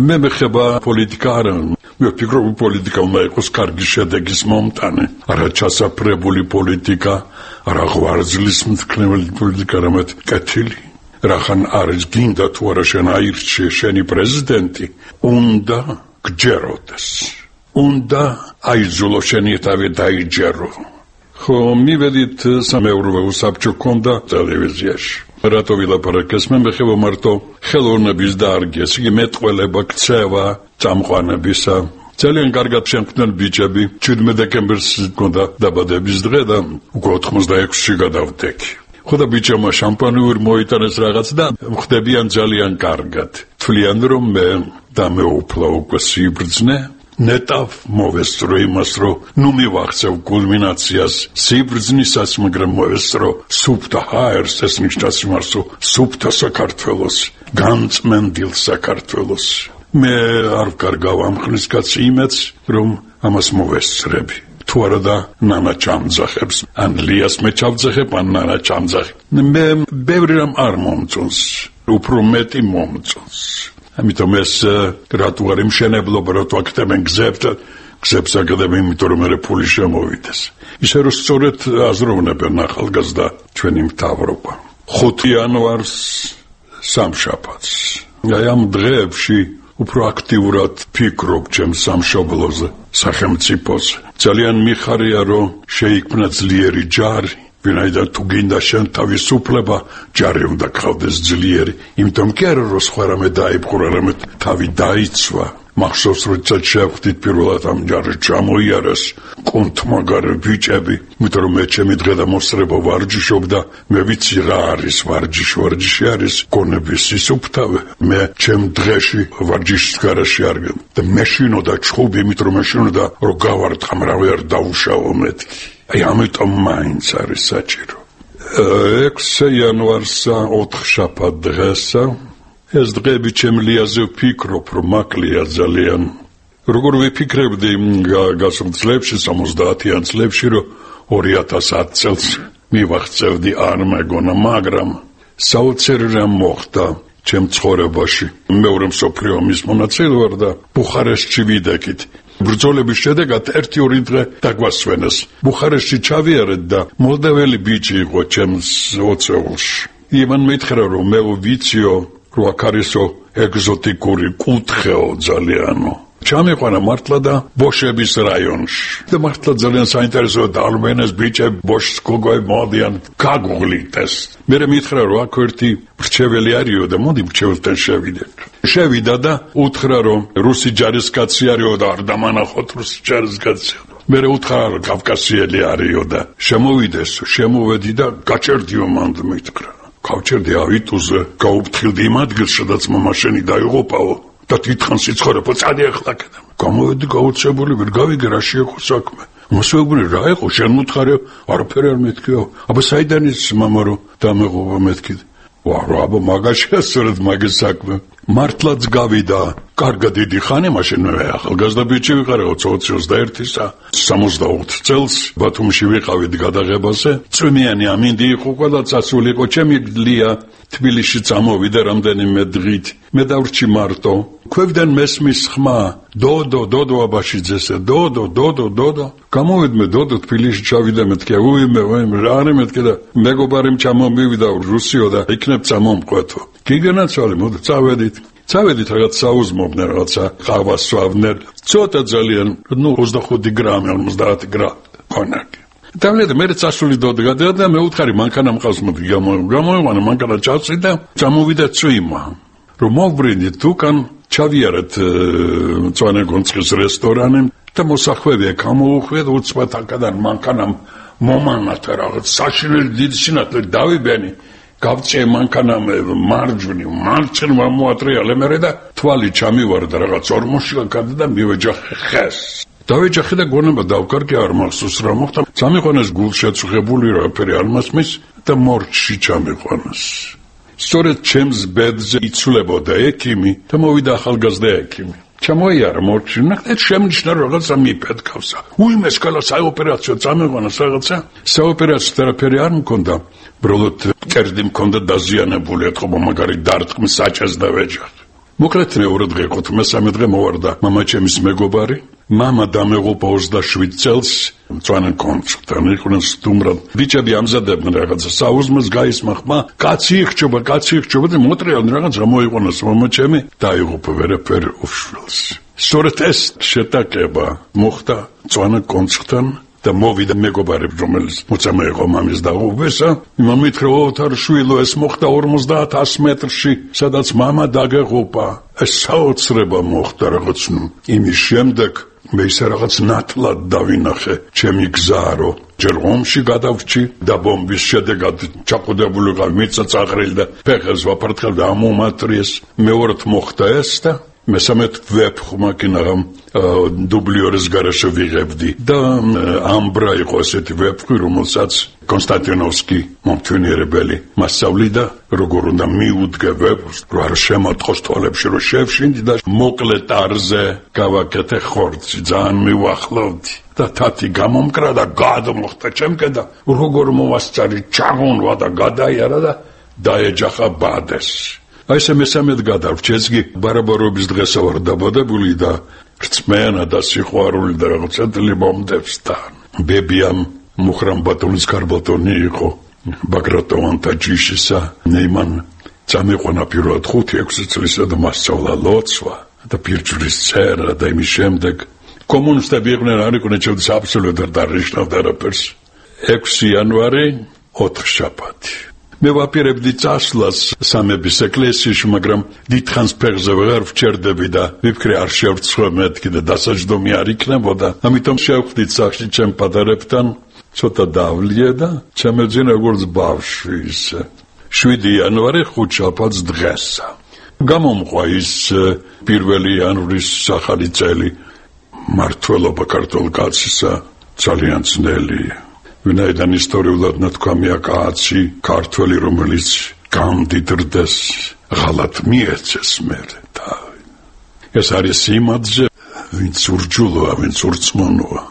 მე მეხება პოლიტიკა არა, მე ვფიქრობ პოლიტიკა უნდა იყოს კარგი შედეგის მომტანი, არა ჩასაფრებული პოლიტიკა, არა ღვარძლის მთქმელი პოლიტიკა, არამედ კეთილი. რახან არის გინდა თუ არა შენ აირჩიე შენი პრეზიდენტი, უნდა გჯეროდეს. უნდა აიძულო შენი თავი დაიჯერო. ხო მივედით სამეურვეო საბჭო ქონდა ტელევიზიაში. რატო ვილაპარაკეს? მე მეხება მარტო ხელოვნების დარგეს, იგი მეტყველება, ქცევა, წამყვანებისა. ძალიან კარგად შემქმნელ ბიჭები. შვიდმეტ დეკემბერს ქონდა დაბადების დღე და უკვე ოთხმოცდაექვსში გადავდექი. ხო და ბიჭებმა შამპანიური მოიტანეს რაღაც და ხდებიან ძალიან კარგად. თვლიან რომ მე დამეუფლა უკვე სიბრძნე. ნეტავ მოვესწრო იმას, რომ ნუ მივახცევ კულმინაციას სიბრძნისას, მაგრამ მოვესწრო სუფთა ჰაერს, ეს ნიშნავს იმას, რომ სუფთა საქართველოს, განწმენდილ საქართველოს. მე არ ვკარგავ ამ ხნის კაცი იმედს, რომ ამას მოვესწრები. თუ არა და ნანა ჩამძახებს, ან ლიას მე ჩავძახებ, ან ნანა ჩამძახებ. მე ბევრი რამ არ მომწონს. უფრო მეტი მომწონს. ამიტომ ეს რატო არ იმშენებლობა რატო აკეთებენ გზებს და გზებს აკეთებენ იმიტომ რომ მე ფული შემოვიდეს. ისე რომ სწორედ აზროვნებენ ახალგაზრდა ჩვენი მთავრობა. ხუთი იანვარს სამშაბათს. აი ამ დღეებში უფრო აქტიურად ფიქრობ ჩემს სამშობლოზე, სახელმწიფოზე. ძალიან მიხარია რომ შეიქმნა ძლიერი ჯარი. ვინაიდან თუ გინდა შენ თავისუფლება, ჯარი უნდა გყავდეს ძლიერი. იმიტომ კი არა რომ სხვა რამე დაიპყრო, რამე თავი დაიცვა. მახსოვს როდესაც შევხვდით პირველად ამ ჯარში ჩამოიარეს კონთმაგარე ბიჭები, იმიტომ რომ მე ჩემი დღე და მოსწრება ვარჯიშობდა, მე ვიცი რა არის ვარჯიში, ვარჯიში არის გონების სისუფთავე. მე ჩემ დღეში ვარჯიშის გარაში არ გემ და მეშინოდა ჩხუბი, იმიტომ რომ მეშინოდა რომ გავარტყა, მრავი არ დაუშავო მეთქი. აი ამიტომ მაინც არის საჭირო. ექვსი იანვარსა ოთხშაბათ დღესა ეს დღეები ჩემლიაზე ვფიქრობ, რომ მაკლია ძალიან. როგორ ვიფიქრებდი გასულ წლებში, სამოცდაათიან წლებში, რომ ორი ათას ათი წელს მივახცევდი არ მეგონა, მაგრამ საოცარი რამ მოხდა ჩემ ცხოვრებაში. მეორე მსოფლიო ომის მონაწილე ვარ და ბუხარესტში ვიდექით. ბრძოლების შედეგად ერთი ორი დღე დაგვასვენეს. ბუხარესტში ჩავიარეთ და მოლდაველი ბიჭი იყო ჩემს ოცეულში. იმან მითხრა რომ მე ვიციო რომ აქ არისო ეგზოტიკური კუთხეო ძალიანო. ჩამიყვანა მართლა და ბოშების რაიონში. და მართლა ძალიან საინტერესოა და ალბენეს ბიჭები ბოშს გოგოები მოდიან გაგუღლით ეს. მე მითხრა რომ აქ ერთი მრჩეველი არისო და მოდი მრჩეველთან შევიდეთ. შევიდა და უთხრა რომ რუსი ჯარისკაცი არისო და არ დამანახოთ რუსი ჯარისკაცი. მე უთხრა რომ კავკასიელი არისო და შემოვიდეს, შემოვედი და გაჭერდიო მანდ მითხრა. გავჭერდი ავიტუზე, გაუფრთხილდი იმ ადგილს, სადაც მამაშენი დაიღუპაო და თვითონ სიცხოვრებო წადი ახლა კედა. გამოვედი გაუცებული, ვერ გავიგე რა შეეხო საქმე. მოსვებული რა იყო, შენ მუთხარი, არაფერი არ მეთქიო. აბა საიდან ის მამა რომ დამეღუპა მეთქი. ვა რა აბა მაგაშია სწორედ მაგის საქმე. მართლაც გავიდა. კარგად დიდი ხანი მაშინ მე ახალგაზრდა ბიჭი ვიყარე ოცი ოცდაერთისა. სამოცდაოთხ წელს ბათუმში ვიყავით გადაღებაზე. წვიმიანი ამინდი იყო, ყველა წასული იყო, ჩემი ლია თბილისში წამოვიდა რამდენიმე დღით. მე დავრჩი მარტო. ქვევიდან მესმის ხმა, დოდო, დოდო აბაშიძესე, დოდო, დოდო, დოდო. გამოვიდმე დოდო თბილისში ჩავიდა მეთქი, უიმე, უიმე, რა არის მეთქი და მეგობარიმ ჩამომივიდა რუსიო და იქნებ წამომყვეთო. გიგენაცვალე, მოდი წავედით. წავედით რაღაც საუზმობდნენ, რაღაცა ყავას სვავდნენ. ცოტა ძალიან, ნუ ოცდახუთი გრამი, ორმოცდაათი გრამი კონაკი. დავлеდა მე წასული დოდგა და მე უთხარი მანქანა მყავს მოდი გამოიყვანა მანქანა ჩავსი და წამოვიდა წვიმა. რომ მოვბრინდით თუკან ჩავიარეთ მწვანე გონცხის რესტორანი და მოსახვევია გამოუხვიეთ უცბად აქედან მანქანამ მომანათა რაღაც საშინელი დიდი სინათლე დავიბენი. გავწე მანქანამ მარჯვნივ, მარცხნივ მოატრიალე მე და თვალი ჩამივარდა რაღაც ორმოში გადა და მივეჯახე ხეს. დავეჯახე და გონება დავკარგე არ მახსოვს რა მოხდა. წამიყვანეს გულშეწუხებული რაფერი არ მასმის და მორჩში ჩამიყვანეს. სწორედ ჩემს ბედზე იცვლებოდა ექიმი და მოვიდა ახალგაზრდა ექიმი. ჩამოიარა მორჩში, ნახეთ შემნიშნა რაღაცა მიფეთქავსა. უიმეს კალა საოპერაციო წამიყვანეს რაღაცა. საოპერაციო თერაპია არ მქონდა. ბროლოდ კერძი მქონდა დაზიანებული, ეთქობა მაგარი დარტყმის საჭეს და ვეჯახე. მოკლედ მეორე დღე იყო, მესამე დღე მოვარდა მამაჩემის მეგობარი. მამა დამეღუპა ოცდაშვიდ წელს მწვანე კონცხთან, იყვნენ სტუმრად. ბიჭები ამზადებდნენ რაღაცა საუზმეს გაისმა ხმა, კაცი იხჩობა, კაცი იხჩობა და მოტრიალდნენ რაღაცა მოიყვანეს მამაჩემი, დაიღუპა ვერაფერი უშვილს. სწორედ ეს შეტაკება მოხდა მწვანე კონცხთან. და მოვიდა მეგობარი რომელიც მოწამე იყო მამის დაღუპვისა. იმან მითხრა ოთარ შვილო ეს მოხდა ორმოცდაათ ათას მეტრში სადაც მამა დაგეღუპა. ეს საოცრება მოხდა რაღაც ნუ იმის შემდეგ მე ისე რაღაც ნათლად დავინახე ჩემი გზარო. ჯერ ომში გადავრჩი და ბომბის შედეგად ჩაყუდებული ვიყავ მიწაწაყრილი და ფეხებს ვაფართხელ და ამომატრიეს. მეორედ მოხდა ეს და მესამედ ვეფხმაკინაღამ დუბლიორის გარეშე ვიღებდი და ამბრა იყო ესეთი ვეფხვი რომელსაც კონსტანტინოვსკი მომთვინიერებელი მასწავლიდა როგორ უნდა მიუდგე ვეფხვს რომ არ შემოთხოს თვალებში რომ შევშინდი და მოკლე ტარზე გავაკეთე ხორცი ძალიან მივახლოვდი და თათი გამომკრა და გადმოხდა ჩემკენ და როგორ მოვასწარი ჩაღონვა და გადაიარა და დაეჯახა ბადეს. აი ეს მესამედ გადავრჩი, ეს კი ბარაბარობის დღესა ვარ დაბადებული და რწმენა და სიყვარული და რაღაცა მომდევს თან. ბებიამ მუხრან ბატონის კარბატონი იყო ბაგრატოვანთა ჯიშისა. ნეიმან წამიყვანა პირველად ხუთი ექვსი წლისა და მასწავლა ლოცვა და პირჯვრის წერა და იმის შემდეგ კომუნისტები იყვნენ, არ იყვნენ ჩემთვის აბსოლუტურად არ ნიშნავდა არაფერს. ექვსი იანვარი ოთხშაბათი. მე ვაპირებდი წასვლას სამების ეკლესიაში, მაგრამ დიდხანს ფეხზე ვეღარ ვჩერდები და ვიფიქრე არ შევცვლებ მეთქი და დასაჯდომი არ იქნებოდა. ამიტომ შევხვდით სახში ჩემ პატარებთან, ცოტა დავლია და ჩემეძინა როგორც ბავშვი ისე. შვიდი იანვარი ხუთშაბათს დღესა. გამომყვა ის პირველი იანვრის ახალი წელი. მართლობა ქართულ კაცისა ძალიან ძნელია. ვინაიდან ისტორიულად ნათქვამია კაცი ქართველი, რომელიც გამდიდრდეს, ღალატ მიეცეს მერე და ეს არის იმადზე, ვინც ურჯულოა, ვინც ურწმუნოა.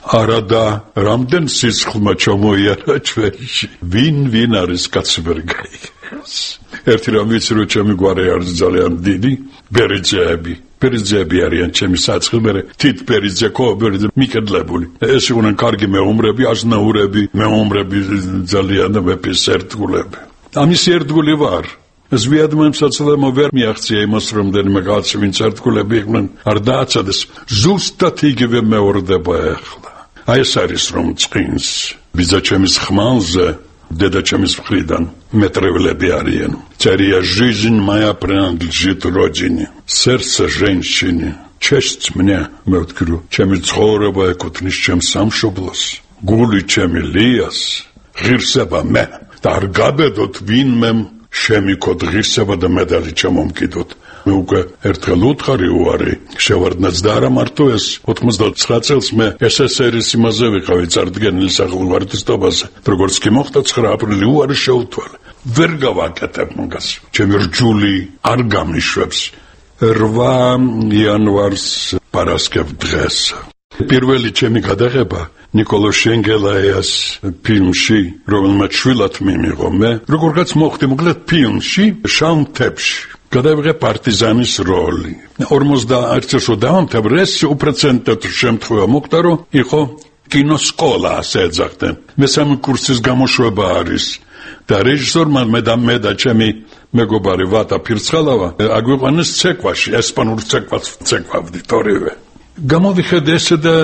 არადა რამდენ სისხლმა ჩამოიარა ჩვენში, ვინ ვინ არის კაცი ვერ გაიგებს. ერთი რამ ვიცი, რომ ჩემი გვარი არის ძალიან დიდი, ბერიძეები. ბერიძეები არიან ჩემი საწყი, მე თით ბერიძე ხო, ბერიძე მიკედლებული. ეს იყვნენ კარგი მეომრები, აზნაურები, მეომრები ძალიან და მეფის ერთგულები. ამის ერთგული ვარ. ზვიადმა საცოლემო ვერ მიაღწია იმას, რომ დენიმე კაცი ვინც ერთგულები იყვნენ, არ დააცადეს. ზუსტად იგივე მეორდება ახლა. აი ეს არის რომ წყინს ბიძაჩემის ხმალზე деда ჩემის მხრიდან მეტრევლები არიან. Цария жизнь моя принадлежит родине. Сердце женщине. Честь мне, მე ვთქვი, ჩემი ცხოვრება ეკუთვნის ჩემს სამშობლოს. გული ჩემი ლიას, ღირსება მე. და არ გაბედოთ ვინმე შემიქოთ ღირსება და მედალი ჩამომკიდოთ. მე უკვე ერთხელ უთხარი უარი შევარდნაც და არა მარტო ეს ოთხმოცდაოთხ წელს მე ეს ეს ერის იმაზე ვიყავი წარდგენილი სახელმწიფოებაზე როგორც კი მოხდა ცხრა აპრილი უარი შეუთვალე ვერ გავაკეთებ მაგას ჩემი რჯული არ გამიშვებს რვა იანვარს პარასკევ დღეს პირველი ჩემი გადაღება ნიკოლო შენგელაიას ფილმში რომელმაც შვილად მიმიღო მე როგორღაც მოხდი მოკლედ ფილმში შამთებში გადავიღე პარტიზანის როლი. ორმოცდაერთი წელს დავამთავრე, ეს უპრეცედენტო შემთხვევა მოხდა, რომ იყო კინოსკოლა, ასე ეძახდნენ. მესამე კურსის გამოშვება არის. და რეჟისორმა მე და მე და ჩემი მეგობარი ვატა ფირცხალავა აგვიყვანეს ცეკვაში, ესპანურ ცეკვას ცეკვავდით ორივე. გამოვიხედე ესე და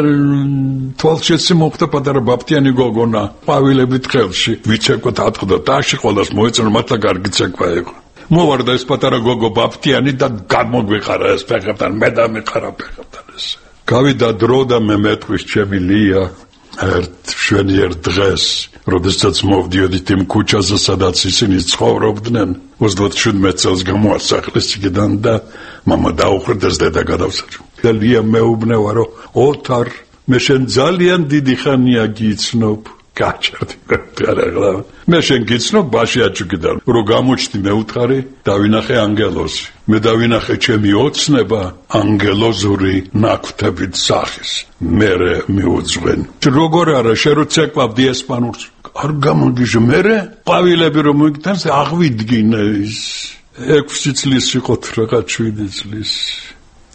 თვალშეცი მოხდა პატარა ბაფტიანი გოგონა, ყვავილებით ხელში. ვიცეკვოთ ატყდა დაში ყოველას მოეწონა, მართლა კარგი ცეკვა იყო. მოვარდა ეს პატარა გოგო ბაფტიანი და გამოგვიყარა ეს ფეხებთან, მე და მიყარა ფეხებთან ეს. გავიდა დრო და მე მეტყვის ჩემი ლია ერთ შვენიერ დღეს, როდესაც მოვდიოდით იმ ქუჩაზე, სადაც ისინი ცხოვრობდნენ, ოცდაშვიდმეტ წელს გამოასახლეს იქიდან და მამა დაუხრდეს დედა გადავსაჯო. და ლია მეუბნება, რომ ოთარ, მე შენ ძალიან დიდი ხანია გიცნობ. გაჩერდი გარაღლა მე შენ გიცნობ ბაში აჭუკიდან რომ გამოჩდი მე უთხარი დავინახე ანგელოზი მე დავინახე ჩემი ოცნება ანგელოზური ნაკვთებით სახის მე მიუძღვენ როგორ არა შენ რო ცეკვავდი ესპანურს არ გამოგიჟე მე ყვავილები რომ მოგიტანს აღვიდგინე ის ექვსი წლის იყო რაღაც შვიდი წლის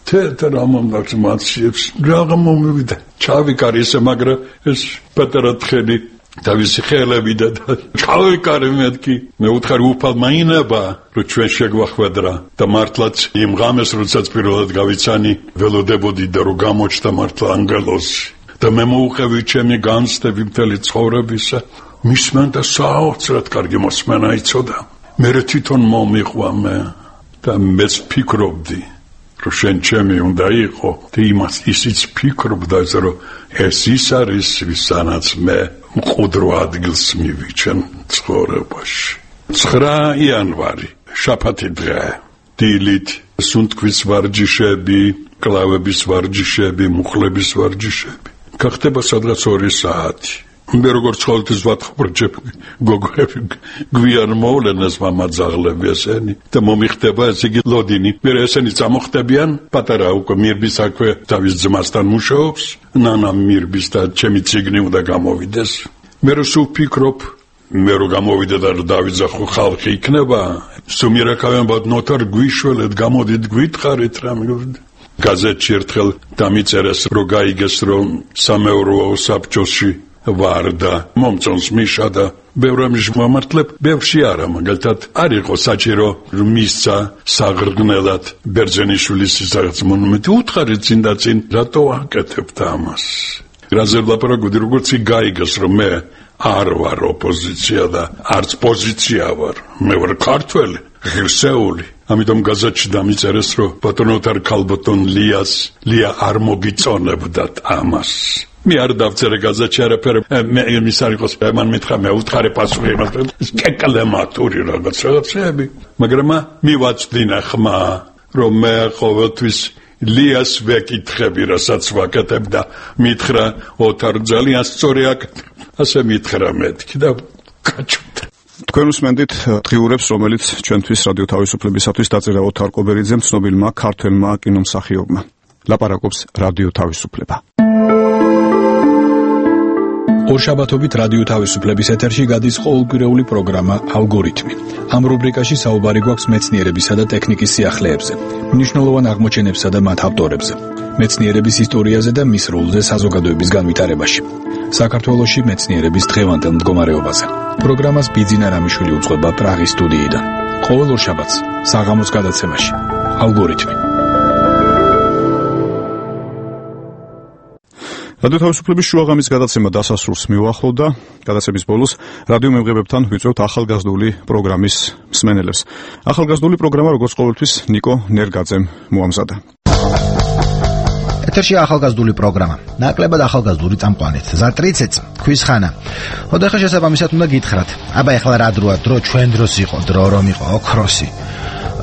თეთრ ამამდაც მაციებს რაღა მომივიდა ჩავიკარი ესე მაგრამ ეს პატარა თხელი დავისი ხელები და ჩავიკარი მეთქი მე უთხარი უფალ მაინება რომ ჩვენ შეგვახვედრა და მართლაც იმ ღამეს როდესაც პირველად გავიცანი ველოდებოდი და რომ გამოჩნდა მართლა ანგელოზი და მე მოუყევი ჩემი განცდები მთელი ცხოვრებისა მისმენ და საოცრად კარგი მოსმენა იცოდა მე თვითონ მომიყვა მე და მეც ფიქრობდი რომ შენ ჩემი უნდა იყო და იმას ისიც ფიქრობდა რომ ეს ის არის ვისანაც მე მყუდრო ადგილს მივიჩენ ცხოვრებაში ცხრა იანვარი შაბათი დღე დილით სუნთქვის ვარჯიშები კლავების ვარჯიშები მუხლების ვარჯიშები გახდება სადღაც ორი საათი მე როგორც ყოველთვის ვათხრობ გოგოები გვიან მოვლენას მამაძაღლები ესენი და მომიხდება ესე იგი ლოდინი მე ესენი წამოხდებიან პატარა უკვე მირბის აქვე თავის ძმასთან მუშაობს ნანა მირბის და ჩემი ციგნი უნდა გამოვიდეს მე რო ვფიქრობ მე რო გამოვიდე და დავიძახო ხალხი იქნება სუმირაკავენ ბოდნოთარ გვიშველეთ გამოდით გვითხარით რა გაზეთში ერთხელ დამიწერეს რომ გაიგეს რომ სამეურვეო საბჭოში ვარ და მომწონს მიშა და ბევრამის მომართლებ ბევრში არა მაგალითად არ იყო საჭირო რომ მისცა საღრგნელად ბერძენიშვილის რაღაც მონუმენტი უთხარით წინ და წინ რატო აკეთებთ ამას რაზე ლაპარაკობდი როგორც გაიგეს რომ მე არ ვარ ოპოზიცია და არც პოზიცია ვარ მე ვარ ქართველი ღირსეული ამიტომ გაზეთში დამიწერეს რომ ბატონოთარ ქალბატონლიას ლია არ მოგიწონებდათ ამას მე არ დავწერე გაზეთში არაფერი მე იმის არ იყოს მან მითხრა მე უთხარი პასუხი იმას კეკლემატური რაღაც რაღაცები მაგრამ მივაწვდინა ხმა რომ მე ყოველთვის ლიას ვეკითხები რასაც ვაკეთებ და მითხრა ოთარ ძალიან სწორი აკეთებ ასე მითხრა მეთქი და გაჩვდა თქვენ უსმენთ დღიურებს რომელიც ჩვენთვის რადიო თავისუფლებისათვის დაწერა ოთარ კობერიძემ ცნობილმა ქართველმა კინომსახიობმა ლაპარაკობს რადიო თავისუფლება ორშაბათობით რადიო თავისუფლების ეთერში გადის ყოველკვირეული პროგრამა ალგორითმი. ამ რუბრიკაში საუბარი გვაქვს მეცნიერებისა და ტექნიკის სიახლეებზე, მნიშვნელოვან აღმოჩენებსა და მათ ავტორებზე, მეცნიერების ისტორიაზე და მის როლზე საზოგადოების განვითარებაში. საქართველოში მეცნიერების დღევანდელ მდგომარეობაზე. პროგრამას ბიძინა რამიშვილი უძღვება პრაღის სტუდიიდან. ყოველ ორშაბათს საღამოს გადაცემაში. ალგორითმი. რადიო თავისუფლების შუაღამის გადაცემა დასასრულს მიუახლოვდა. გადაცემის ბოლოს რადიო მემღებებთან ვიწვევთ ახალგაზრდული პროგრამის მსმენელებს. ახალგაზრდული პროგრამა როგორც ყოველთვის ნიკო ნერგაძემ მოამზადა. ეთერში ახალგაზრდული პროგრამა. ნაკლებად ახალგაზრდული წამყვანით. ზატრიცეც, ქვისხანა. ხოდა ხა შესაბამისად უნდა გითხრათ. აბა ეხლა რა დროა? დრო ჩვენ დროს იყო, დრო რომ იყო ოქროსი.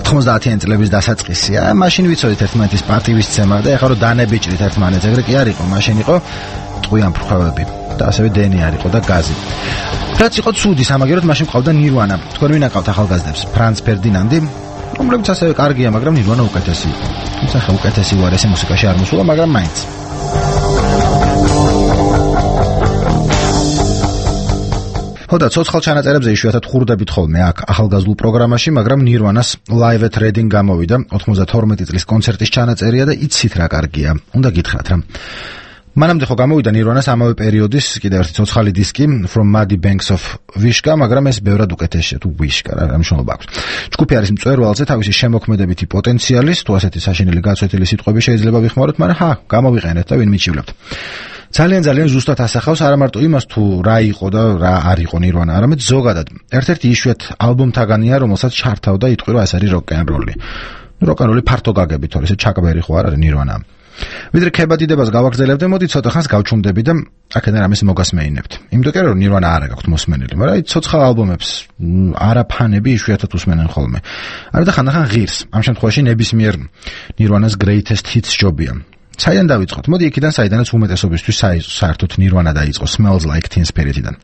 ოთხმოცდაათიანი წლების დასაწყისია. მაშინ ვიცოდით ერთმანეთის პატივისცემა და ეხლა რომ დანებიჭდით ერთმანეთს, ეგრე კი არ იყო, მაშინ იყო ტყვიან ფრხვევები და ასევე დენი არ იყო და გაზი. რაც იყო ცუდი სამაგეროდ მაშინ ყავდა ნირვანა. თქვენ ვინაკავთ ახალგაზრდებს? ფრანც ფერდინანდი, რომლებიც ასევე კარგია, მაგრამ ნირვანა უკეთესი იყო. თუმცა ხა უკეთესი უარესი მუსიკაში არ მოსულა, მაგრამ მაინც. ხოდა ცოცხალ ჩანაწერებზე იშვიათად ხურდებით ხოლმე აქ ახალგაზრდულ პროგრამაში, მაგრამ ნირვანას Live at Reading გამოვიდა ოცდათორმეტი წლის კონცერტის ჩანაწერია და იცით რა კარგია. უნდა გითხრათ რა. მანამდე ხო გამოვიდა ნირვანას ამავე პერიოდის კიდევ ერთი ცოცხალი დისკი From Muddy Banks of Wishka, მაგრამ ეს ბევრად უკეთესია თუ Wishka რა მნიშვნელობა აქვს. ჯგუფი არის მწვერვალზე თავისი შემოქმედებითი პოტენციალის, თუ ასეთი საშინელი გაცვეთილი სიტყვები შეიძლება ვიხმაროთ, მაგრამ ჰა, გამოვიყენეთ და ვინ მიჩივლებთ. ძალიან ძალიან ზუსტად ასახავს არა მარტო იმას თუ რა იყო და რა არ იყო ნირვანა, არამედ ზოგადად. ერთ-ერთი იშვიათ ალბომთაგანია, რომელსაც ჩართავდა იტყვი რომ ეს არის როკ-ენ-როლი. როკ-ენ-როლი ფართო გაგები თორე ესე ჩაკბერი ხო არ არის ნირვანა. ვიდრე ქებადიდებას გავაგრძელებდე, მოდი ცოტა ხანს გავჩუმდები და აქედან რამეს მოგასმეინებთ. იმიტომ კი რომ ნირვანა არა გაქვთ მოსმენელი, მაგრამ აი ცოცხალ ალბომებს არა ფანები იშვიათად უსმენენ ხოლმე. არა და ხანდახან ღირს. ამ შემთხვევაში ნებისმიერ ნირვანას greatest hits ჯობია. საიდან დავიწყოთ? მოდი იქიდან საიდანაც უმეტესობისთვის საერთოდ ნირვანა დაიწყო Smells Like Teen Spirit-იდან.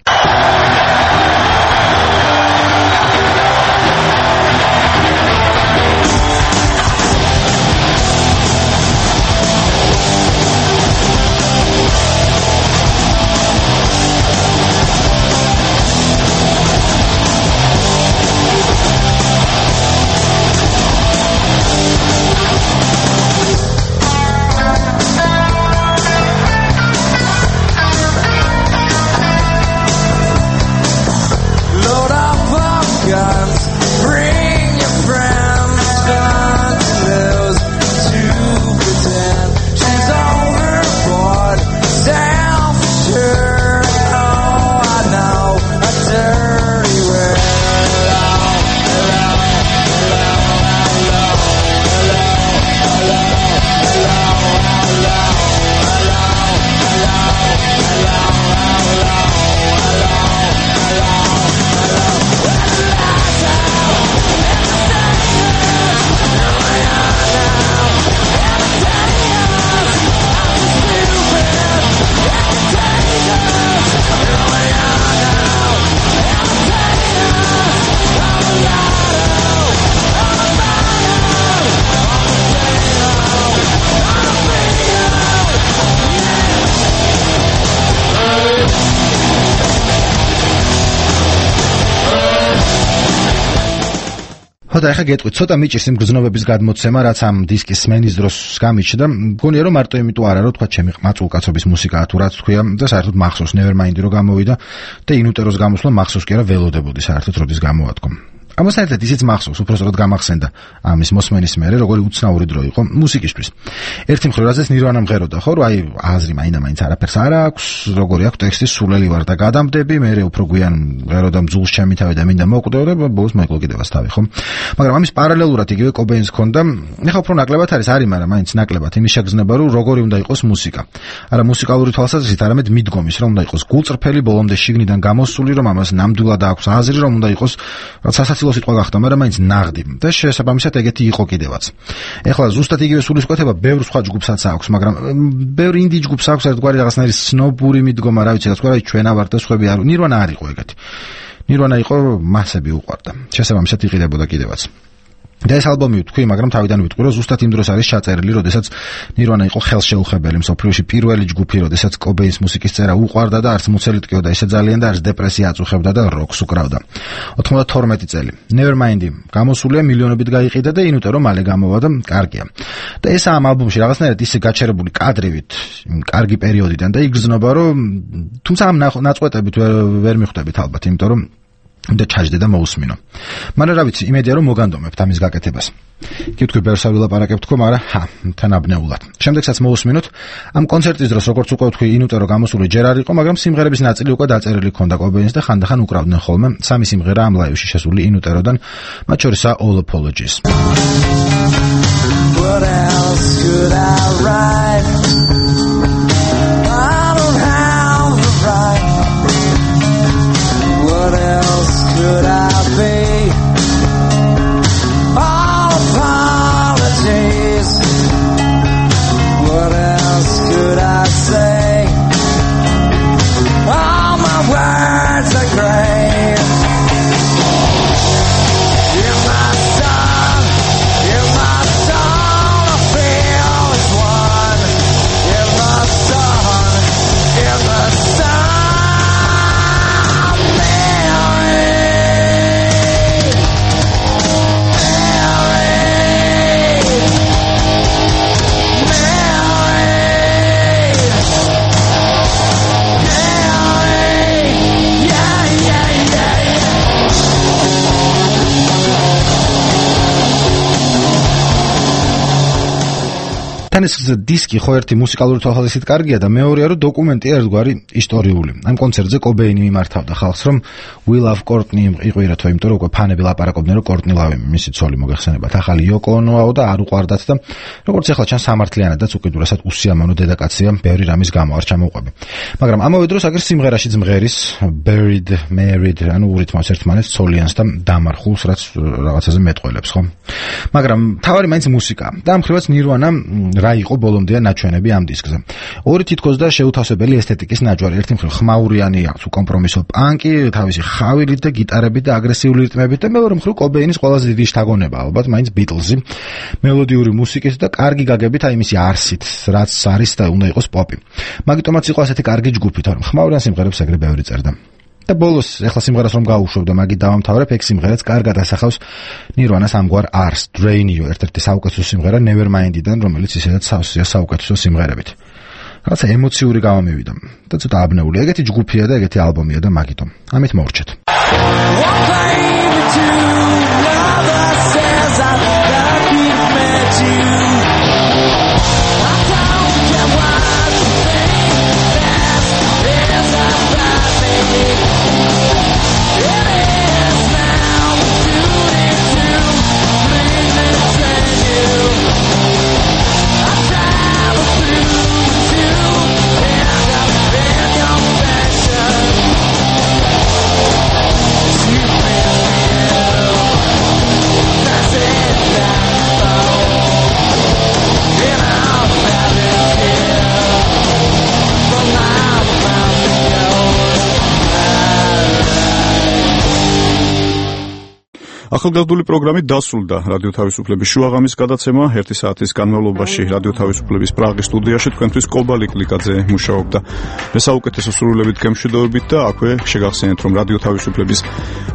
ხო და ახლა გეტყვით, ცოტა მიჭირს იმ გრძნობების გადმოცემა, რაც ამ დისკის სმენის დროს გამიჩნდა. მგონია რომ მარტო იმიტომ არა, რომ თქვა ჩემი ყმაწულკაცობის მუსიკაა თუ რაც თქვია და საერთოდ მახსოვს Nevermind-ი რო გამოვიდა და ინუტეროს გამოსვლა მახსოვს კი არა ველოდებოდი საერთოდ როდის გამოვადგო. ამას ერთად ისიც მახსოვს, უпростоრად გამახსენდა ამის მოსმენის მერე, როგორი უცნაური დრო იყო მუსიკისთვის. ერთი მხრივ რაზეც Nirvana მღეროდა, ხო, რომ აი აზრი მაინდა-მაინც არაფერს არ აქვს, როგორი აქვს ტექსტის სულელი ვარ და გადამდები, მერე უფრო გვიან მღეროდა მძულს ჩემი თავი და მინდა მოკვდეო და ბოლოს მოიკლო კიდევაც თავი, ხო? მაგრამ ამის პარალელურად იგივე Cobain-ს ჰქონდა, ეხლა უფრო ნაკლებად არის, არის, მაგრამ მაინც ნაკლებად იმის შეგრძნება, რომ როგორი უნდა იყოს მუსიკა. არა მუსიკალური თვალსაზრისით, არამედ მიდგომის, რომ უნდა იყოს გულწრფელი, ბოლომდე შიგნიდან გამოსული, რომ ამას ნამდვილად აქვს აზრი, რომ უნდა იყოს სასაცილო სიტყვა გახდა, მაგრამ მაინც ნაღდი და შესაბამისად ეგეთი იყო კიდევაც. ეხლა ზუსტად იგივე სულისკვეთება ბევრ სხვა ჯგუფსაც აქვს, მაგრამ ბევრ ინდი ჯგუფს აქვს ერთგვარი რაღაცნაირი სნობური მიდგომა, რა ვიცი, რაც ყურა ჩვენა ვარ და სხვები არ. Nirvana არ იყო ეგეთი. Nirvana იყო მასები უყვარდა. შესაბამისად იყიდებოდა კიდევაც. და ეს ალბომი ვთქვი, მაგრამ თავიდან ვიტყვი, რომ ზუსტად იმ დროს არის ჩაწერილი, როდესაც Nirvana იყო ხელშეუხებელი მსოფლიოში პირველი ჯგუფი, როდესაც Cobain-ს მუსიკის წერა უყვარდა და არც მუცელი ტკიოდა ისე ძალიან და არც დეპრესია აწუხებდა და როკს უკრავდა. ოთხმოცდათორმეტი წელი. Nevermind-ი გამოსულია, მილიონობით გაიყიდა და ინუტერო მალე გამოვა და კარგია. და ეს ამ ალბომში რაღაცნაირად ისე გაჩერებული კადრივით, კარგი პერიოდიდან და იგრძნობა, რომ თუმცა ამ ნაწყვეტებით ვერ მიხვდებით ალბათ, იმიტომ რომ და ჩაჯდე და მოусმინო. მაგრამ რა ვიცი, იმედია რომ მოგანდომებთ ამის გაკეთებას. კი თქვი ბევრს არ ვილაპარაკებ თქო, მაგრამ ჰა, თანაბნეულად. შემდეგსაც მოусმინოთ ამ კონცერტის დროს, როგორც უკვე ვთქვი, ინუტერო გამოსული ჯერ არ იყო, მაგრამ სიმღერების ნაწილი უკვე დაწერილი ჰქონდა Cobain-ს და ხანდახან უკრავდნენ ხოლმე. სამი სიმღერა ამ ლაივში შესული ინუტეროდან, მათ შორისაა All Apologies. What else could I write? I don't have the right. What else could I be? All apologies. What else could I say? All my words are great. You're my sun, you're my soul, I feel as one. You're my sun, you're the sun. ეს დისკი ხო ერთი მუსიკალური თვალსაზრისით კარგია და მეორეა რომ დოკუმენტია ერთგვარი ისტორიული. ამ კონცერტზე Cobain-ი მიმართავდა ხალხს, რომ We Love Courtney იყვირათო, იმიტომ რომ უკვე ფანები ლაპარაკობდნენ, რომ Courtney Love მისი ცოლი მოგეხსენებათ, ახალი Yoko Ono-აო და არ უყვარდათ და როგორც ახლა ჩანს სამართლიანადაც უკიდურესად უსიამოვნო დედაკაცია, ბევრი რამის გამო არ ჩამოუყვები. მაგრამ ამავე დროს აგერ სიმღერაშიც მღერის Buried, Married, ანუ ურითმავს ერთმანეთს ცოლიანს და დამარხულს, რაც რაღაცაზე მეტყველებს, ხო? მაგრამ თავარი მაინც მუსიკა. და ამ ხრივაც Nirvana რა იყო ბოლომდე ნაჩვენები ამ დისკზე. ორი თითქოს და შეუთავსებელი ესთეტიკის ნაჯვარი. ერთი მხრივ ხმაურიანი აქვს უკომპრომისო პანკი, თავისი ხავილით და გიტარებით და აგრესიული რიტმებით და მეორე მხრივ Cobain-ის ყველაზე დიდი შთაგონება ალბათ მაინც Beatles-ი. მელოდიური მუსიკით და კარგი გაგებით აი მისი არსით, რაც არის და უნდა იყოს პოპი. მაგიტომაც იყო ასეთი კარგი ჯგუფი, თორემ ხმაურიან სიმღერებს ეგრე ბევრი წერდა. და ბოლოს ახლა სიმღერას რომ გავუშვებ და მაგით დავამთავრებ, ეგ სიმღერაც კარგად ასახავს Nirvana-ს ამგვარ ars, Drain-io, ერთ-ერთი საუკეთესო სიმღერა Nevermind-დან, რომელიც ისედაც სავსეა საუკეთესო სიმღერებით. რაღაცა ემოციური გამომივიდა და ცოტა აბნეული. ეგეთი ჯგუფია და ეგეთი ალბომია და მაგიტომ. ამით მოვრჩეთ. ახალგაზრდული პროგრამით დასრულდა რადიო თავისუფლების შუაღამის გადაცემა. ერთი საათის განმავლობაში რადიო თავისუფლების პრაღის სტუდიაში თქვენთვის კობალი კლიკაძე მუშაობდა. მე საუკეთესო სრულებით გემშვიდობებით და აქვე შეგახსენეთ, რომ რადიო თავისუფლების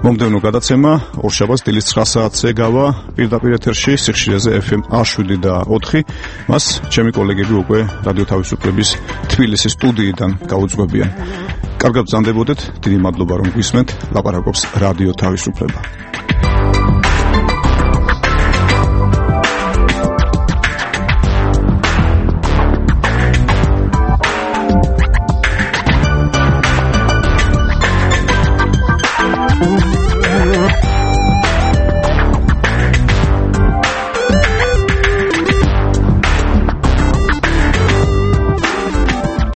მომდევნო გადაცემა ორშაბათს დილის ცხრა საათზე გავა პირდაპირ ეთერში სიხშირეზე ეფ ემ შვიდი და ოთხი. მას ჩემი კოლეგები უკვე რადიო თავისუფლების თბილისის სტუდიიდან გაუძღვებიან. კარგად ბრძანდებოდეთ, დიდი მადლობა რომ გვისმენთ. ლაპარაკობს რადიო თავისუფლება.